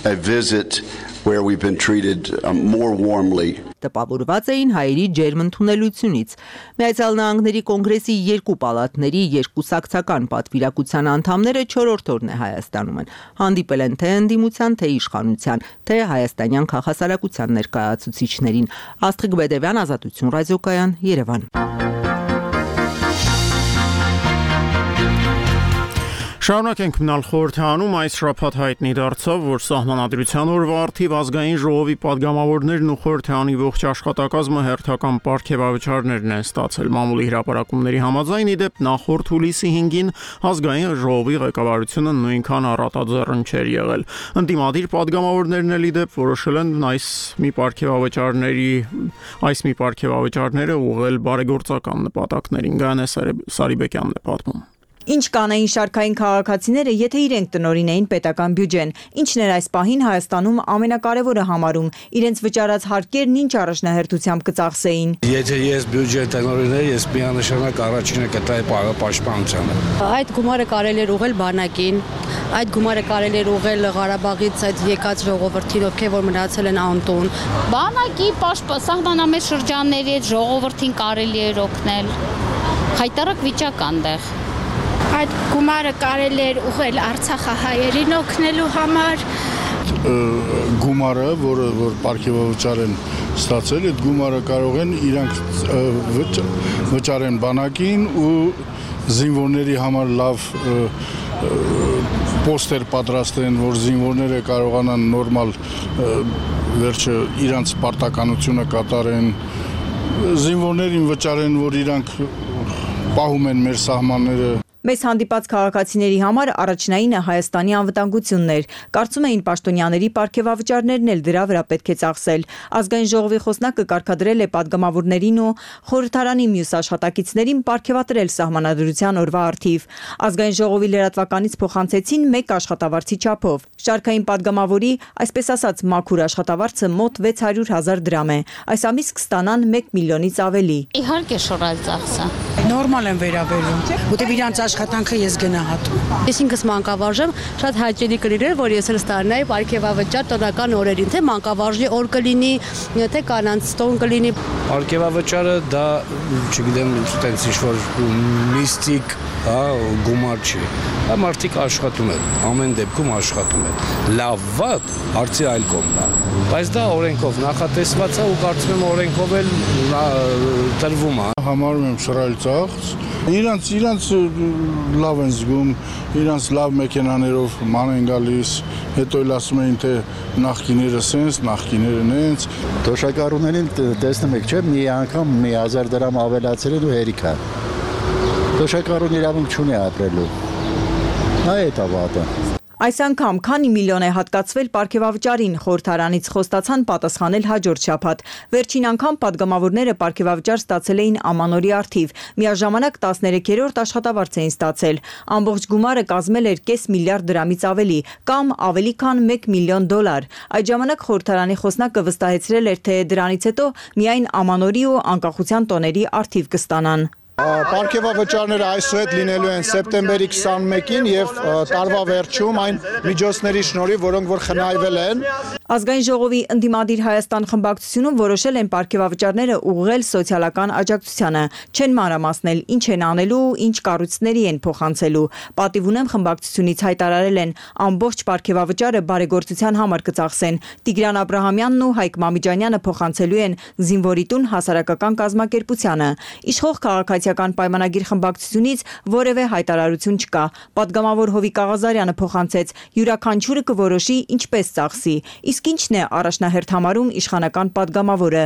a visit where we've been treated um, more warmly. Տպավորված էին հայերի ջերմ ընդունելությունից։ Միացյալ Նահանգների կոնգրեսի երկու պալատների երկուսակցական պատվիրակության անդամները չորրորդ օրն է Հայաստանում են։ Հանդիպել են թե ընդդիմության, թե իշխանության, թե հայաստանյան քաղաքասարակության ներկայացուցիչներին։ Աստղիկ Բեդևյան, Ազատություն ռադիոկայան, Երևան։ Շարունակենք մնալ խորհրդանում այս շաբաթ հայտնի դարձավ, որ Սահմանադրության օրվա առթիվ ազգային ժողովի падգամավորներն ու խորհրդանի ողջ աշխատակազմը հերթական պարգևավճարներն են ստացել մամուլի հրապարակումների համաձայն, ի դեպ նախորդ հուլիսի հինգին ազգային ժողովի ղեկավարությունը նույնքան առատաձեռն չէր եղել։ Ընդդիմադիր падգամավորներն էլ ի դեպ որոշել են այս մի պարգևավճարների այս մի պարգևավճարները ուղղել բարեգործական նպատակներին։ Գանե Սարիբեկյանն է պատմում։ Ինչ կանեին շարքային քաղաքացիները, եթե իրենք տնօրինեին պետական բյուջեն, ինչն էր այս պահին Հայաստանում ամենակարևորը համարում, իրենց վճարած հարկերն ինչ առաջնահերթությամբ կծախսեին։ Եթե ես բյուջե տնօրին եմ, ես միանշանակ առաջինը կտայի պաշտպանությանը։ Այդ գումարը կարելի էր ուղղել բանակին, այդ գումարը կարելի էր ուղղել Ղարաբաղից այդ եկած ժողովրդին, ովքեր որ մնացել են անտուն։ Բանակի սահմանամետ շրջանների այդ ժողովրդին կարելի էր օգնել։ Հայտարարակ վիճակ այնտեղ։ Այդ գումարը կարելի էր ուղղել Արցախահայերին օգնելու համար։ Գումարը, որը որ պարգևավճար են ստացել, այդ գումարը կարող են իրանք վճարեն բանակին ու զինվորների համար լավ պոստեր պատրաստեն, որ զինվորները կարողանան նորմալ վերջը իրանց պարտականությունը կատարեն, զինվորներին վճարեն, որ իրանք պահում են մեր սահմանները։ Մեզ հանդիպած քաղաքացիների համար առաջնայինը Հայաստանի անվտանգությունն էր։ Կարծում էին պաշտոնյաների պարգևավճարներն էլ դրա վրա պետք է ծախսել։ Ազգային ժողովի խոսնակը կարգադրել է падգամավորներին ու խորհրդարանի մյուս աշխատակիցներին պարգևատրել Սահմանադրության օրվա առթիվ։ Ազգային ժողովի լրատվականից փոխանցեցին մեկ աշխատավարձի չափով։ Շարքային падգամավորի, այսպես ասած, մաքուր աշխատավարձը մոտ վեց հարյուր հազար դրամ է։ Այս ամիս կստանան մեկ միլիոնից ավելի։ Իհարկե շորալ ծախսը։ Նորմալ են վերաբերում։ Որտեղ իրանց աշխատանքը ես գնահատում։ Ես ինքս մանկավարժ եմ, շատ հաճելի կլիներ, որ ես էլ ստանայի պարգևավճար տնական օրերին, թե մանկավարժի օր կլինի, թե կանանց տոն կլինի։ Պարգևավճարը դա, չգիտեմ, այդպես ինչ-որ միստիկ, հա, գումար չի։ Դա մարդիկ աշխատում են, ամեն դեպքում աշխատում են։ Լավ, վատ, հարցի այլ կողմն է։ Բայց դա օրենքով նախատեսված է ու կարծում եմ օրենքով էլ տրվում է։ Համարում եմ շռայլ ծախս։ Իրանց իրանց լավ են զգում, իրանց լավ մեքենաներով ման են գալիս, հետո էլ ասում էին թե նախկիները սենց, նախկիները նենց։ Թոշակառուներին տեսնում եք, չէ՞, մի անգամ մի հազար դրամ ավելացրել ու հերիք է։ Թոշակառուն իրավունք չունի ապրելու։ Այդ է վատը։ Այս անգամ քանի միլիոն է հատկացվել պարգևավճարին, խորհրդարանից խոստացան պատասխանել հաջորդ շաբաթ։ Վերջին անգամ падգամավորները պարգևավճար ստացել էին ամանորի առթիվ, միաժամանակ տասներեքերորդ աշխատավարձ էին ստացել։ Ամբողջ գումարը կազմել էր կես միլիարդ դրամից ավելի, կամ ավելի քան մեկ միլիոն դոլար։ Այդ ժամանակ խորհրդարանի խոսնակը վստահեցրել էր, թե դրանից հետո միայն ամանորի ու անկախության տոների առթիվ կստանան։ Պարգևավճարները այսուհետ լինելու են սեպտեմբերի քսանմեկին եւ տարվա վերջում այն միջոցների շնորհիվ, որոնք որ խնայվել են։ Ազգային ժողովի ընդդիմադիր Հայաստան խմբակցությունում որոշել են պարգևավճարները ուղղել սոցիալական աջակցությանը, չեն մանրամասնել ինչ են անելու, ինչ կառույցների են փոխանցելու։ Պատիվ ունեմ խմբակցությունից հայտարարել են ամբողջ պարգևավճարը բարեգործության համար կծախսեն։ Տիգրան Աբրահամյանն ու Հայկ Մամիջանյանը փոխանցելու են զինվորի տուն հասարակական կազմակերպությանը։ Իշխող քաղաքացիական պայմանագիր խմբակցությունից որևէ հայտարարություն չկա։ Պատգամավոր Հովիկ Աղազարյանը փոխանցեց. յուրաքանչյուրը կորոշի ինչպես ծախսի։ Իսկ ինչն է առաջնահերթ համարում իշխանական պատգամավորը։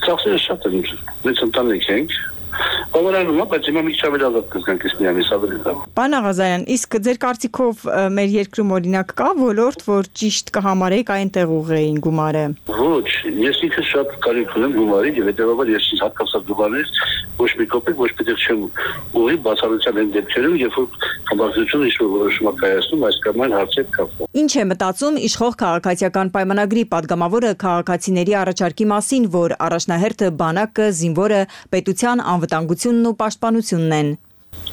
Ծախսերը շատ են, մեծ ընտանիք ենք, բավարարում է, բայց հիմա մի քիչ ավելի ազատ կզգանք այս միամիս ավելի լավ։ Պարոն Աղազարյան, իսկ ձեր կարծիքով մեր երկրում օրինակ կա ոլորտ, որ ճիշտ կհամարեք այնտեղ ուղղեին գումարը։ Ոչ, ես ինքս շատ կարիք ունեմ գումարի եւ հետեւաբար ես ինձ հատկացած գումարից ոչ մի կոպեկ ոչ պետք չեմ ուղի բացառության այն դեպքերում, երբ որ խմբակցությունը ինչ-որ որոշում է կայացնում այս կամ այն հարցեր կապված։ Ինչ է մտածում իշխող քաղաքացիական պայմանագրի պատգամավորը քաղաքացիների առաջարկի մասին, որ առաջնահերթը բանակը, զինվորը, պետության անվտանգությունն ու պաշտպանությունն են։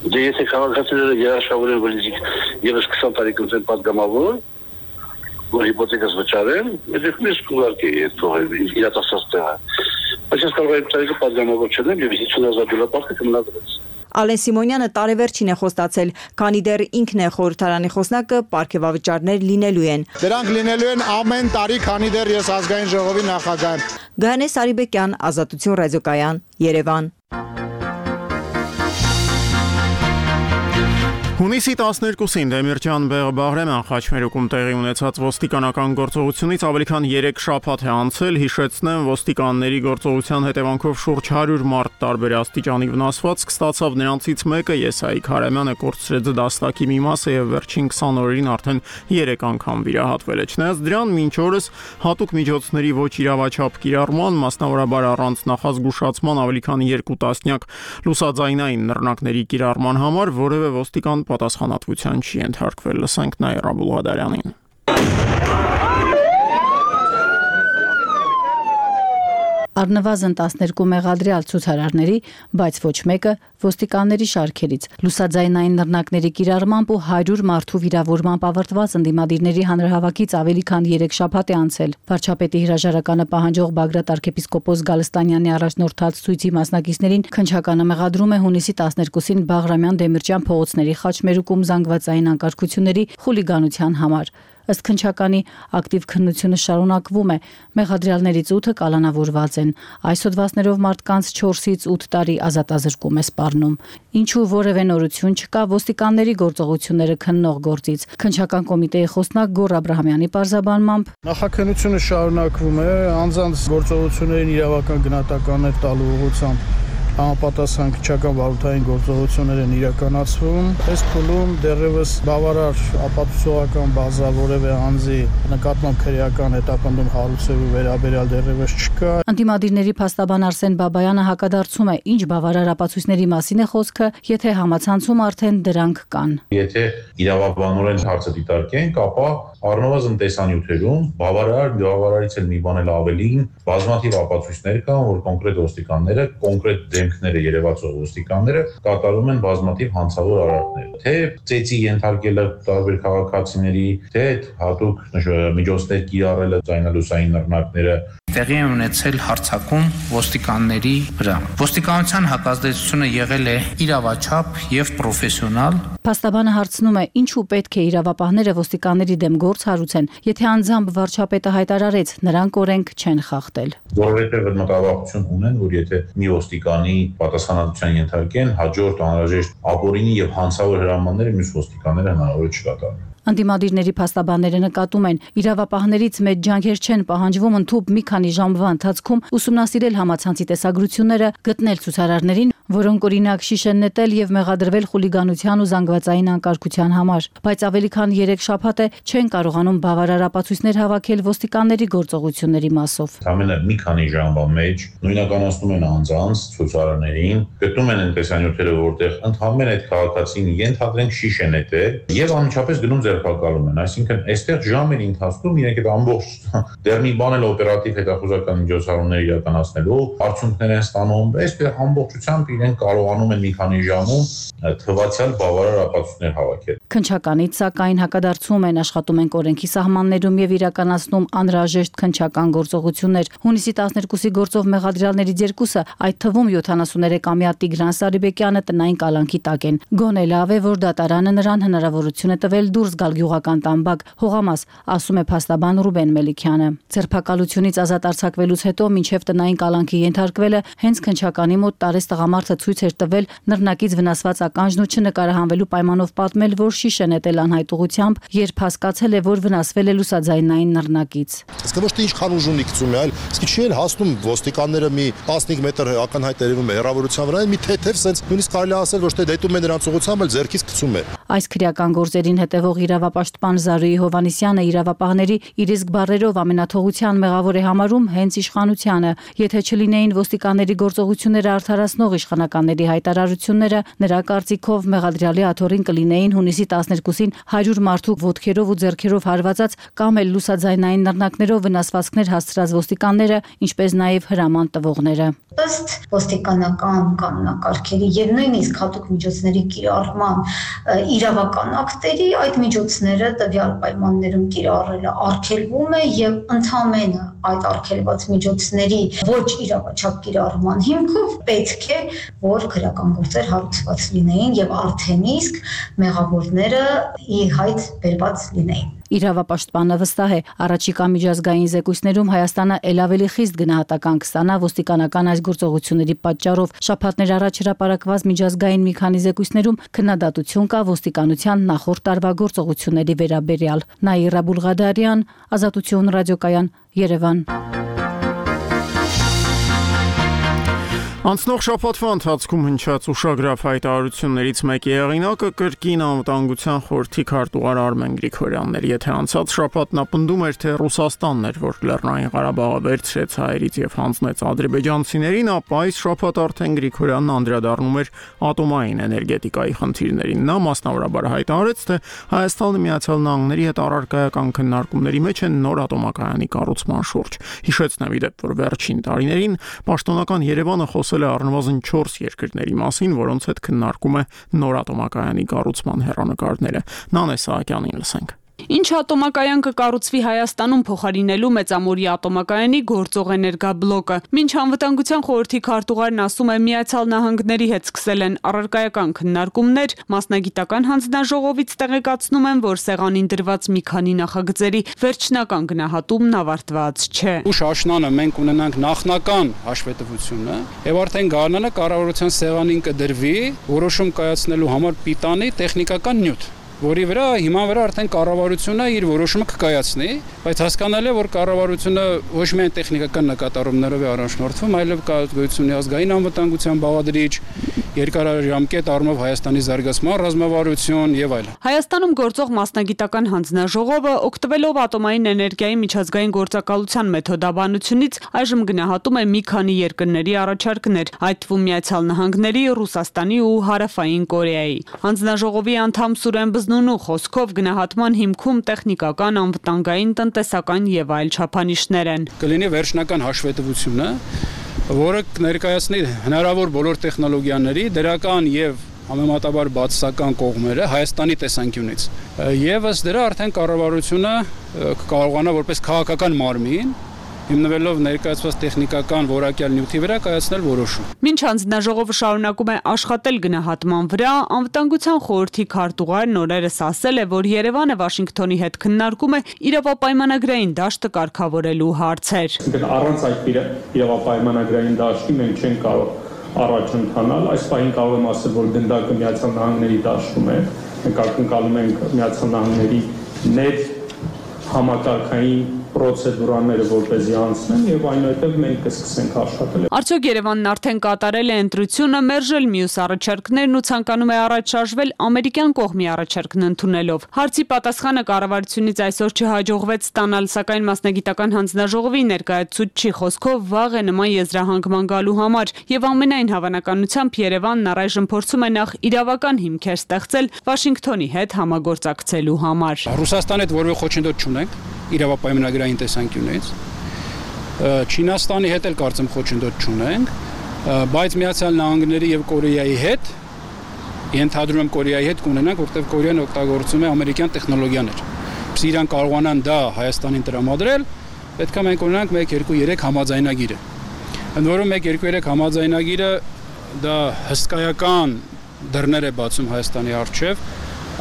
Դե եթե քաղաքացիները երաշխավորեն վլիզիկ եւս քսան տարի կնցեն պատգամավոր, որ հիպոթեկաս վճարեն, դեպքում ես կուղարկեի այդ փողերը իրատեսած տեղը։ Բայց ես կարող եմ տարիքը պատգամավոր չեմ եւ հիսուն հազար դոլար պարտքը կմնատրեց։ Ալեն Սիմոնյանը տարեվերջին է խոստացել, քանի դեռ ինքն է խորհրդարանի խոսնակը, պարգևավճարներ լինելու են։ Դրանք լինելու են ամեն տարի, քանի դեռ ես ազգային ժողովի նախագահ եմ։ Գահանե Սարիբեկյան, Ազատություն ռադիոկայան, Երևան։ Հունիսի տասներկուսին Դեմիրճան Բեղբաղրեման խաչմերուկում տեղի ունեցած ոստիկանական գործողությունից ավելի քան երեք շաբաթ է անցել, հիշեցնեմ, ոստիկանների գործողության հետևանքով շուրջ հարյուր մարդ տարբեր աստիճանի վնասվածք ստացավ, նրանցից մեկը Եսայիկ Հարամյանը կորցրեց դաստակի մի մասը եւ վերջին քսան օրերին արդեն երեք անգամ վիրահատվել է։ Չնայած դրան մինչ օրս հատուկ միջոցների ոչ իրավաչափ կիրառման, մասնավորաբար առանց նախազգուշացման ավելի քան երկու տասնյակ լուսաձայնային նռնակների կիրառման համար որևէ ոստիկան պատասխանատվության չի ենթարկվել, լսենք Նաիրա Բուլղադարյանին։ Առնվազն տասներկու մեղադրյալ ցուցարարների, բայց ոչ մեկը ոստիկանների շարքերից, լուսաձայնային նռնակների կիրառմամբ ու հարյուր մարդու վիրավորմամբ ավարտված ընդդիմադիրների հանրահավաքից ավելի քան երեք շաբաթ է անցել։ Վարչապետի հրաժարականը պահանջող Բագրատ arczepiskopos Գալստանյանի առաջնորդած ցույցի մասնակիցներին քննչականը մեղադրում է հունիսի տասներկուսին Բաղրամյան Դեմիրճան փողոցների խաչմերուկում զանգվածային անկարգությունների խուլիգանության համար։ Ըստ քննչականի ակտիվ քննությունը շարունակվում է, մեղադրյալներից ութը կալանավորված են, այս հոդվածներով մարդկանց չորսից ութ տարի ազատազրկում է սպառնում։ Ինչու որևէ նորություն չկա ոստիկանների գործողությունները քննող գործից։ Քննչական կոմիտեի խոսնակ Գոռ Աբրահամյանի պարզաբանմամբ նախաքննությունը շարունակվում է, անձանց գործողություններին իրավական գնահատականներ տալու ուղղությամբ համապատասխան քննչական վարորդային գործողություններ են իրականացվում։ Այս փուլում դեռևս բավարար ապացուցողական բազա որևէ անձի նկատմամբ քրեական հետապնդում հարուցելու վերաբերյալ դեռևս չկա։ Անտիմադիրների փաստաբան Արսեն Բաբայանը հակադարձում է, ինչ բավարար ապացույցների մասին է խոսքը, եթե համացանցում արդեն դրանք կան։ Եթե իրավաբանորեն հարցը դիտարկենք, ապա առնվազն տեսանյութերում բավարար բավարարից էլ մի բան էլ ավելին բազմաթիվ ապացույցներ կան, որ կոնկրետ ոստիկանները, կոնկրետ դեմքները երևացող ոստիկանները կատարում են բազմաթիվ հանցավոր արարքներ, թե ծեծի ենթարկելը տարբեր քաղաքացիների, թե հատուկ միջոցներ կիրառելը ձայնալուսային նռնակները տեղի է ունեցել հարձակում ոստիկանների վրա։ Ոստիկանության հակազդեցությունը եղել է իրավաչափ եւ պրոֆեսիոնալ։ Փաստաբանը հարցնում է, ինչու պետք է իրավապահները ոստիկանների դեմ գործ հարուցեն, եթե անձամբ վարչապետը հայտարարեց, նրանք օրենք չեն խախտել։ Որովհետեւ մտավախություն ունեն, որ եթե մի ոստիկանի պատասխանատվության ենթարկեն, հաջորդ անհրաժեշտ ապօրինի եւ հանցավոր հրամանները մյուս ոստիկանները հնարավոր չկատարեն։ Անդիմադիրների փաստաբանները նկատում են, իրավապահներից մեծ ջանքեր չեն պահանջվում ընդհուպ մի քանի ժամվա ընթացքում ուսումնասիրել համացանցի տեսագրությունները, գտնել ցուցարարներին, որոնք օրինակ շիշ են նետել եւ մեղադրվել խուլիգանության ու զանգվածային անկարգության համար, բայց ավելի քան երեք շաբաթ է չեն կարողանում բավարար ապացույցներ հավաքել ոստիկանների գործողությունների մասով։ Ամենը մի քանի ժամվա մեջ նույնականացնում են անձանց ցուցարարներին, գտնում են տեսանյութերը, որտեղ ընդհանրեն այդ քաղաքացին ենթադրենք շիշ է նետել եւ անմիջապես գնում ձերբակալում են, այսինքն այստեղ ժամերի ընթացքում իրենք այդ ամբողջ դեռ մի բան էլ օպերատիվ հետախուզական միջոցառումներ իրականացնելու արդյունքներ են ստանում, այստեղ ամբողջությամբ իրենք կարողանում են մի քանի ժամում թվացial բավարար ապացույցներ հավաքել։ Քննչականից սակայն հակադարձում են, աշխատում են օրենքի սահմաններում եւ իրականացնում անհրաժեշտ քննչական գործողություններ։ Հունիսի տասներկուսի գործով մեղադրյալներից երկուսը, այդ թվում յոթանասուներեքամյա Տիգրան Սարիբեկյանը տնային կալանքի տակ են։ Գոնե լավ է, որ դատարանը նրան հնարավորություն է տվել դուրս գալ գյուղական տամբակ, հողամաս, ասում է փաստաբան Ռուբեն Մելիքյանը։ Ձերբակալությունից ազատ արձակվելուց հետո մինչև տնային կալանքի ենթարկվելը հենց քննչականի մոտ տարես տղամարդը ցույց էր տվել նռնակից վնասված ականջն ու չնկարահանվելու պայմանով պատմել, որ շիշ է նետել անհայտ ուղղությամբ, երբ հասկացել է, որ վնասվել է լուսաձայնային նռնակից։ Իսկ ոչ թե ինչ խանուժ ունի գցում է, այլ իսկ չի էլ հասնում ոստիկանները մի տասնհինգ մետր ականհայտ երևում է հեռավորության վրա, մի թեթև սենց նույնիսկ կարելի ասել ոչ թե դետում է նրանց ուղղությամբ, այլ ձեռքից գցում է։ Այս քրեական գործերին հետևող իրավապաշտպան Զարուհի Հովանիսյանը իրավապահների իր իսկ բառերով ամենաթողության մեղավոր է համարում հենց իշխանությանը։ Եթե չլինեին ոստիկանների գործողությունները արդարացնող իշխանականների հայտարարությունները, նրա կարծիքով մեղադրյալի աթոռին կլինեին հունիսի տասներկուսին հարյուր մարդու ոտքերով ու ձեռքերով հարվածած կամ էլ լուսաձայնային նռնակներով վնասվածքներ հասցրած ոստիկանները, ինչպես նաև հրաման տվողները։ Ըստ ոստիկանական կանոնակարգերի եւ նույնիսկ հատուկ միջոցների կիրառման իրավական ակտերի այդ միջոցները տվյալ պայմաններում կիրառելը արգելվում է եւ ընդհանրապես այդ արգելված միջոցների ոչ իրավաչափ կիրառման հիմքով պետք է որ քրեական գործեր հարուցված լինեին եւ արդեն իսկ մեղավորները ի հայտ բերված լինեին։ Իրավապաշտպանը վստահ է, առաջիկա միջազգային զեկույցներում Հայաստանը ել ավելի խիստ գնահատական կստանա ոստիկանական այս գործողությունների պատճառով։ Շաբաթներ առաջ հրապարակված միջազգային մի քանի զեկույցներում քննադատություն կա ոստիկանության նախորդ տարվա գործողությունների վերաբերյալ։ Նաիրա Բուլղադարյան, Ազատություն ռադիոկայան, Երևան։ Անցնող շաբաթվա ընթացքում հնչած ուշագրավ հայտարարություններից մեկի հեղինակը կրկին անվտանգության խորհրդի քարտուղար Արմեն Գրիգորյանն էր, եթե անցած շաբաթ նա պնդում էր, թե Ռուսաստանն էր, որ Լեռնային Ղարաբաղը վերցրեց հայերից եւ հանձնեց ադրբեջանցիներին, ապա այս շաբաթ արդեն Գրիգորյանն անդրադառնում էր ատոմային էներգետիկայի խնդիրներին։ Նա մասնավորաբար հայտարարեց, թե Հայաստանը Միացյալ Նահանգների հետ առարկայական քննարկումների մեջ են նոր ատոմակայանի կառուցման շուրջ։ Հիշեցնեմ ի դեպ, որ վերջին տարիներին պաշտոնական Երևանը խոսել է առնվազն չորս երկրների մասին, որոնց հետ քննարկում է նոր ատոմակայանի կառուցման հեռանկարները։ Նանե Սահակյանին լսենք։ Ինչ ատոմակայան կկառուցվի Հայաստանում փոխարինելու Մեծամորի ատոմակայանի գործող էներգաբլոկը։ Մինչ անվտանգության խորհրդի քարտուղարն ասում է, Միացյալ Նահանգների հետ սկսել են առարկայական քննարկումներ, մասնագիտական հանձնաժողովից տեղեկացնում են, որ սեղանին դրված մի քանի նախագծերի վերջնական գնահատումն ավարտված չէ։ Ուշ աշնանը մենք ունենանք նախնական հաշվետվությունը եւ արդեն գարնանը կառավարության սեղանին կդրվի որոշում կայացնելու համար պիտանի տեխնիկական նյութ, որի վրա հիմա վրա արդեն կառավարությունը իր որոշումը կկայացնի, բայց հասկանալի է, որ կառավարությունը ոչ միայն տեխնիկական նկատառումներով է առաջնորդվում, այլև կա գոյություն ազգային անվտանգության բաղադրիչ, երկարաժամկետ առումով Հայաստանի զարգացման ռազմավարություն եւ այլն։ Հայաստանում գործող մասնագիտական հանձնաժողովը օգտվելով ատոմային էներգիայի միջազգային գործակալության մեթոդաբանությունից այժմ գնահատում է մի քանի երկրների առաջարկներ, այդ թվում Միացյալ Նահանգների, Ռուսաստանի ու Հարավային Կորեայի։ Հանձնաժողովի անդամ Սուրեն Բզնունու խոսքով գնահատման հիմքում տեխնիկական, անվտանգային, տնտեսական եւ այլ չափանիշներ են։ Կլինի վերջնական հաշվետվությունը, որը կներկայացնի հնարավոր բոլոր տեխնոլոգիաների դրական եւ համեմատաբար բացասական կողմերը Հայաստանի տեսանկյունից։ Եվ ըստ դրա արդեն կառավարությունը կարողանա որպես քաղաքական մարմին հիմնվելով ներկայացված տեխնիկական որակյալ նյութի վրա կայացնել որոշում։ Մինչ հանձնաժողովը շարունակում է աշխատել գնահատման վրա, անվտանգության խորհրդի քարտուղարն օրերս ասել է, որ Երևանը Վաշինգտոնի հետ քննարկում է իրավապայմանագրային դաշտը կարգավորելու հարցեր։ Առանց այդ իրավապայմանագրային դաշտի մենք չենք կարող առաջ ընթանալ։ Այս պահին կարող եմ ասել, որ գնդակը Միացյալ Նահանգների դաշտում է։ Մենք ակնկալում ենք Միացյալ Նահանգների ներ համակարգային պրոցեդուրաները որպեսզի անցնեն եւ այնուհետեւ մենք կսկսենք աշխատել։ Արդյոք Երևանն արդեն կատարել է ընտրությունը, մերժել մյուս առաջարկներն ու ցանկանում է առաջ շարժվել ամերիկյան կողմի առաջարկն ընդունելով։ Հարցի պատասխանը կառավարությունից այսօր չհաջողվեց ստանալ, սակայն մասնագիտական հանձնաժողովի ներկայացուցչի խոսքով վաղ է նման եզրահանգման գալու համար եւ ամենայն հավանականությամբ Երևանն առայժմ փորձում է նախ իրավական հիմքեր ստեղծել Վաշինգտոնի հետ համագործակցելու համար։ Ռուսաստանի հետ որևէ խոչընդոտ չունենք իրավապայմանագրային տեսանկյունից, Չինաստանի հետ էլ կարծեմ խոչընդոտ չունենք, բայց Միացյալ Նահանգների եւ Կորեայի հետ ենթադրում եմ Կորեայի հետ կունենանք, որտեղ Կորեան օգտագործում է ամերիկյան տեխնոլոգիաներ։ Իսկ իրան կարողանան դա Հայաստանին տրամադրել, պետք է մենք ունենանք մեկ երկու երեք համաձայնագիրը։ Ընդ որում մեկ երկու երեք համաձայնագիրը դա հսկայական դռներ է բացում Հայաստանի առջև,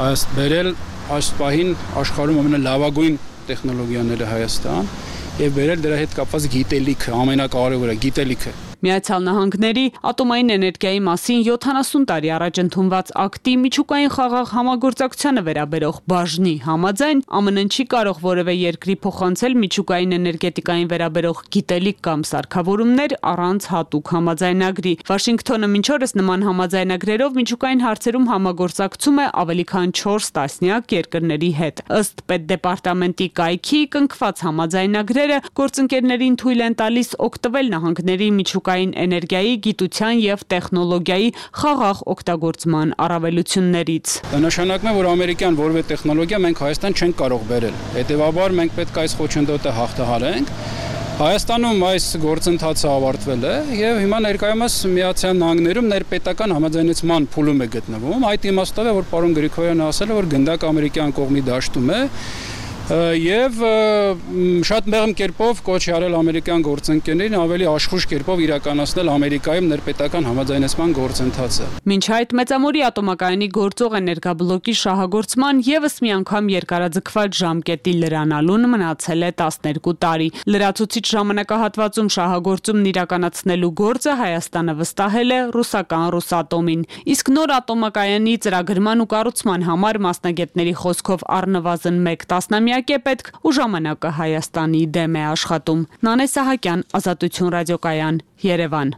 այս բերել այս պահին աշխարհում ամենալավագույն տեխնոլոգիաները Հայաստան եւ բերել դրա հետ կապված գիտելիքը, ամենակարևորը գիտելիքը։ Միացյալ Նահանգների ատոմային էներգիայի մասին յոթանասուն տարի առաջ ընդունված ակտի միջուկային խաղաղ համագործակցությանը վերաբերող բաժնի համաձայն ԱՄՆ-ն չի կարող որևէ երկրի փոխանցել միջուկային էներգետիկային վերաբերող գիտելիք կամ սարքավորումներ առանց հատուկ համաձայնագրի։ Վաշինգտոնը մինչ օրս նման համաձայնագրերով միջուկային հարցերում համագործակցում է ավելի քան չորս տասնյակ երկրների հետ։ Ըստ Պետդեպարտամենտի կայքի կնքված համաձայնագրերը գործընկերներին թույլ են տալիս օգտվել նահանգների միջուկ էներգիայի, գիտության եւ տեխնոլոգիայի խաղաղ օգտագործման առավելություններից։ Դա նշանակում է, որ ամերիկյան որևէ տեխնոլոգիա մենք Հայաստան չենք կարող բերել։ Հետևաբար մենք պետք է այս խոչընդոտը հաղթահարենք։ Հայաստանում այս գործընթացը ավարտվել է եւ հիմա ներկայումս Միացյալ Նահանգներում ներպետական համաձայնեցման փուլում է գտնվում։ Այդ իմաստով է, որ պարոն Գրիգորյանը ասել է, որ գնդակ ամերիկյան կողմի դաշտում է եւ շատ մեղմ կերպով կոչ արել ամերիկյան գործընկերներին ավելի աշխույժ կերպով իրականացնել Ամերիկայում ներպետական համաձայնեցման գործընթացը։ Մինչ այդ Մեծամորի ատոմակայանի գործող էներգաբլոկի շահագործման եւս մի անգամ երկարաձգված ժամկետի լրանալուն մնացել է տասներկու տարի։ Լրացուցիչ ժամանակահատվածում շահագործումն իրականացնելու գործը Հայաստանը վստահել է ռուսական Ռոսատոմին, իսկ նոր ատոմակայանի ծրագրման ու կառուցման համար մասնագետների խոսքով առնվազն մեկ տասնամյակ է պետք ու ժամանակը Հայաստանի դեմ է աշխատում։ Նանե Սահակյան, Ազատություն ռադիոկայան, Երևան։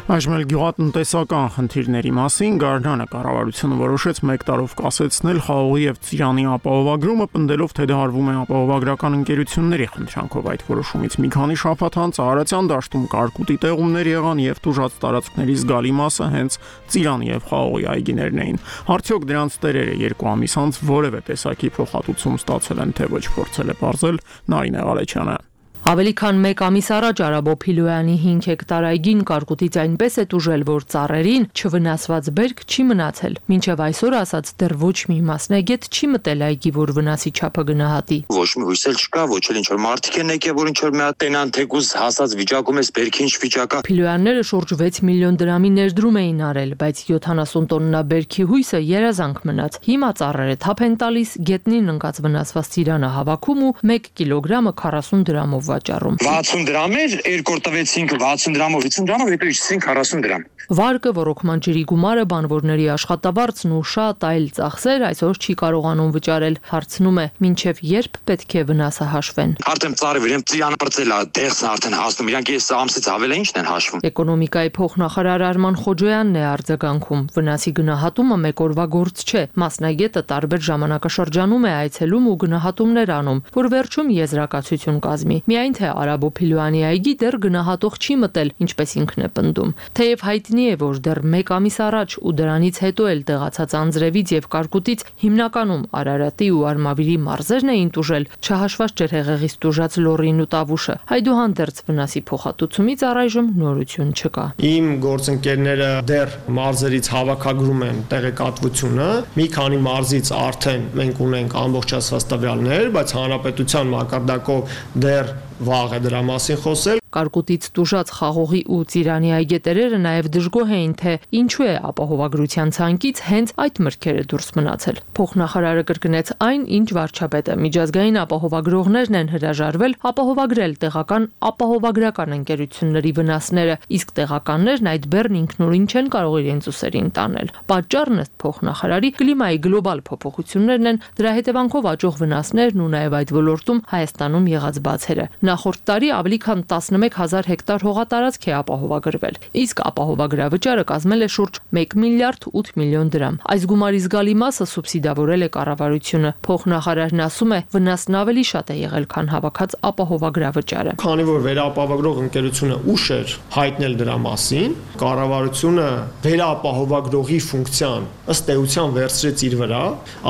Այժմ էլ գյուղատնտեսական խնդիրների մասին Գարնանը կառավարությունը որոշեց մեկ տարով կասեցնել խաղողի եւ ծիրանի ապահովագրումը, պնդելով, թե դա արվում է ապահովագրական ընկերությունների խնդրանքով։ Այդ որոշումից մի քանի շաբաթ անց Արարատյան դաշտում կարկուտի տեղումներ եղան եւ տուժած տարածքների զգալի մասը հենց ծիրանի եւ խաղողի այգիներն էին։ Արդյոք դրանց տերերը երկու ամիս անց որևէ տեսակի փոխհատուցում ստացել են, թե ոչ, փորձել է բարձել Նարինե Ղալեչյանը։ Ավելի քան մեկ ամիս առաջ Արաբո Փիլոյանի հինգ հեկտար այգին կարկուտից այնպես է տուժել, որ ծառերին չվնասված բերք չի մնացել։ Մինչև այսօր ասած դեռ ոչ մի մասնագետ չի մտել այգի, որ վնասի չափը գնահատի։ Ոչ մի հույս էլ չկա, ոչ էլ ինչ որ մարդիկ են եկել, որ ինչ որ մի հատ տենան թեկուզ հասած վիճակում էս բերքի ինչ վիճակա։ Փիլոյանները շուրջ վեց միլիոն դրամի ներդրում էին արել, բայց յոթանասուն տոննա բերքի հույսը երազանք մնաց։ Հիմա ծառերը թափ են տալիս, գետնին ընկած վնասված ծիրանը հավաքում ու մեկ կիլոգրամը քառասուն դրամով վաճառում։ վաթսուն դրամ էր, երկու տվեցինք վաթսուն դրամով, վաթսուն դրամով, հետո իջեցինք քառասուն դրամ։ Վարկը, ռոռոկման ջրի գումարը, բանվորների աշխատավարձն ու շատ այլ ծախսեր այսօր չի կարողանում վճարել։ Հարցնում է, մինչև երբ պետք է վնասը հաշվեն։ Արդեն ծառը վերեմ ծիրանը բրծել է, դեղսն արդեն հասնում, իրանք այս ամսից ավել է ինչն են հաշվում։ Էկոնոմիկայի փոխնախարար Արման Խոջոյանն է արձագանքում։ Վնասի գնահատումը մեկ օրվա գործ չէ։ Մասնագետը տարբեր ժամանակաշրջանում է այցելում ու գնահատումներ անում, որ վերջում եզրակացություն կազմի։ Միայն թե Արաբո Փիլոյանի այգի դեռ գնահատող չի մտել, ինչպես ինքն է պնդում։ Թեև հայտնի է, որ դեռ մեկ ամիս առաջ ու դրանից հետո էլ տեղացած անձրևից եւ կարկուտից հիմնականում Արարատի ու Արմավիրի մարզերն էին տուժել, չհաշված ջրհեղեղից տուժած լոռին ու տավուշը։ Այդուհանդերձ վնասի փոխհատուցումից առայժմ նորություն չկա։ Իմ գործընկերները դեռ մարզերից հավաքագրում են տեղեկատվությունը, մի քանի մարզից արդեն մենք ունենք ամբողջացված տվյալներ, բայց հանրապետության մակարդակով դեռ վաղ է դրա մասին խոսել։ Կարկուտից տուժած խաղողի ու ծիրանի այգետերերը նաև դժգոհ էին, թե ինչու է ապահովագրության ցանկից հենց այդ մրգերը դուրս մնացել։ Փոխնախարարը կրկնեց այն, ինչ վարչապետը։ Միջազգային ապահովագրողներն են հրաժարվել ապահովագրել տեղական ապահովագրական ընկերությունների վնասները, իսկ տեղականներն այդ բեռն ինքնուրույն չեն կարող իրենց ուսերին տանել։ Պատճառն ըստ փոխնախարարի կլիմայի գլոբալ փոփոխություններն են, դրա հետևանքով աճող վնասներն ու նաև այդ ոլորտում Հայաստանում եղած բացերը։ Նախորդ տարի ավելի քան տասնմեկ հազար հեկտար հողատարածք է ապահովագրվել, իսկ ապահովագրավճարը կազմել է շուրջ մեկ միլիարդ ութ միլիոն դրամ։ Այս գումարի զգալի մասը սուբսիդավորել է կառավարությունը։ Փոխնախարարն ասում է, վնասն ավելի շատ է եղել, քան հավաքած ապահովագրավճարը։ Քանի որ վերապահովագրող ընկերությունը ուշ էր հայտնել դրա մասին, կառավարությունը վերապահովագրողի ֆունկցիան ըստ էության վերցրեց իր վրա,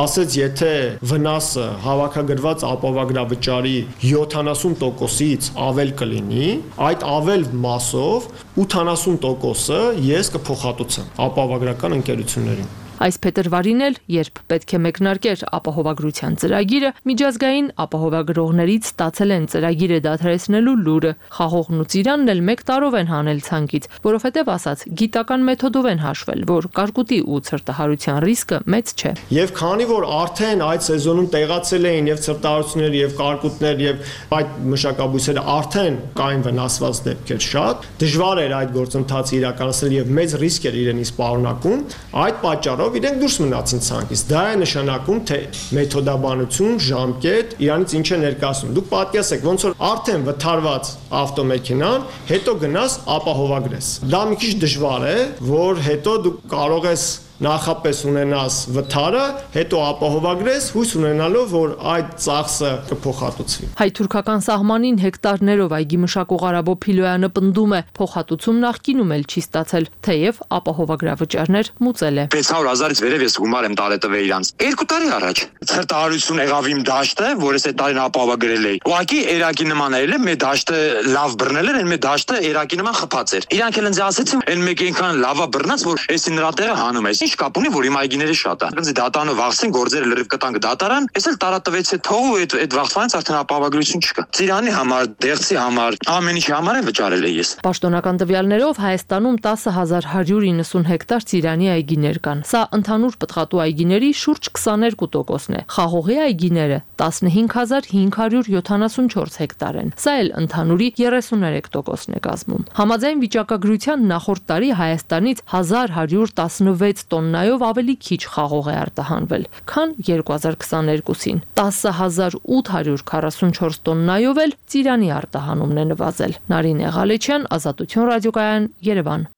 ասեց, եթե վնասը հավաքագրված ապահովագրավճարի յոթանասուն տոկոսից ավել կլինի, այդ ավել մասով ութանասուն տոկոսը ես կփոխհատուցեմ ապահովագրական ընկերություններին։ Այս փետրվարին էլ, երբ պետք է մեկնարկեր ապահովագրության ծրագիրը, միջազգային ապահովագրողներից ստացել են ծրագիրը դադարեցնելու լուրը։ Խաղողն ու ծիրանն էլ մեկ տարով են հանել ցանկից, որովհետև ասած գիտական մեթոդով են հաշվել, որ կարկուտի ու ցրտահարության ռիսկը մեծ չէ։ Եվ քանի որ արդեն այդ սեզոնում տեղացել էին եւ ցրտահարություններ եւ կարկուտներ եւ այդ մշակաբույսերը արդեն կային վնասված դեպքեր շատ, դժվար էր այդ գործընթացը իրականացնել եւ մեծ ռիսկ էր իրենից պարունակում, այդ պատճառով իրենք դուրս մնացին ցանկից։ Դա է նշանակում, թե մեթոդաբանություն, ժամկետ, իրանից ինչ է ներկայացնում։ Դուք պատկերացեք, ոնց որ արդեն վթարված ավտոմեքենան, հետո գնաս ապահովագրես։ Դա մի քիչ դժվար է, որ հետո դու կարող ես նախապես ունենաս վթարը, հետո ապահովագրես, հույս ունենալով, որ այդ ծախսը կփոխհատուցվի։ Հայ-թուրքական սահմանին հեկտարներով այգի մշակող Արաբո Փիլոյանը պնդում է, փոխհատուցում նախկինում էլ չի ստացել, թեև ապահովագրավճարներ մուծել է։ վեց հարյուր հազարից վերև ես գումար եմ տարել տվել իրանց։ Երկու տարի առաջ ցրտահարություն եղավ իմ դաշտը, որ ես այդ տարին ապահովագրել էի։ Ուղղակի երակի նման էր, մեր դաշտը լավ բռնել էր, մեր դաշտը երակի նման խփած էր։ Իրանք էլ ինձ ասեցին, այն մեկ այնքան լավա բռնած, որ էսի նրա տեղը հանում ես։ ինչ կապ ունի, որ իմ այգիները շատ են։ Ոնց դատանը վախցեն, գործերը լրիվ կտանք դատարան, այս էլ տարատվեց է թողու այդ այդ վախցանից արդեն ապահովագրություն չկա։ Ծիրանի համար, դեղցի համար, ամեն ինչի համար է վճարել ես։ Պաշտոնական տվյալներով Հայաստանում տասը հազար հարյուր իննսուն հեկտար ծիրանի այգիներ կան։ Սա ընդհանուր պտղատու այգիների շուրջ քսաներկու տոկոսն է։ Խաղողի այգիները տասնհինգ հազար հինգ հարյուր յոթանասունչորս հեկտար են։ Սա էլ ընդհանուրի երեսուներեք տոկոսն է կազմում։ Համաձայն վիճակագրության նախորդ տարի Հայաստանից հազար հարյուր տասնվեց տոննայով ավելի քիչ խաղող է արտահանվել, քան երկու հազար քսաներկուսին։ տասը հազար ութ հարյուր քառասունչորս տոննայով էլ ծիրանի արտահանումն է նվազել։ Նարինե Ղալեչյան, Ազատություն ռադիոկայան, Երևան։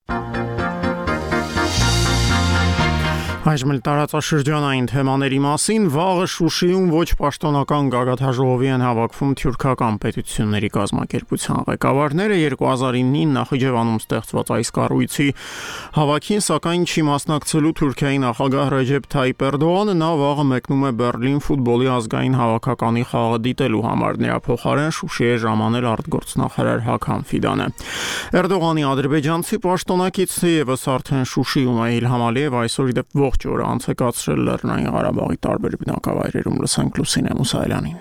Այժմ տարածաշրջանային թեմաների մասին վաղը Շուշիում ոչ պաշտոնական գագաթաժողովի են հավաքվում թյուրքական պետությունների կազմակերպության ղեկավարները երկու հազար իննին Նախիջևանում ստեղծված այս կառույցի հավաքին, սակայն չի մասնակցելու Թուրքիայի նախագահ Ռեջեփ Թայիփ Էրդողանը, նա վաղը մեկնում է Բեռլին ֆուտբոլի ազգային հավաքականի խաղը դիտելու համար, նրա փոխարեն Շուշի է ժամանել արտգործնախարար Հաքամ Ֆիդանը։ Էրդողանի ադրբեջանցի պաշտոնակիցը եւս արդեն Շուշիում է, Իլհամ Ալիև այսօր իդեպ ողջ օրը անցկացրել Լեռնային Ղարաբաղի տարբեր բնակավայրերում, լսենք Լուսինե Մուսայելյանին։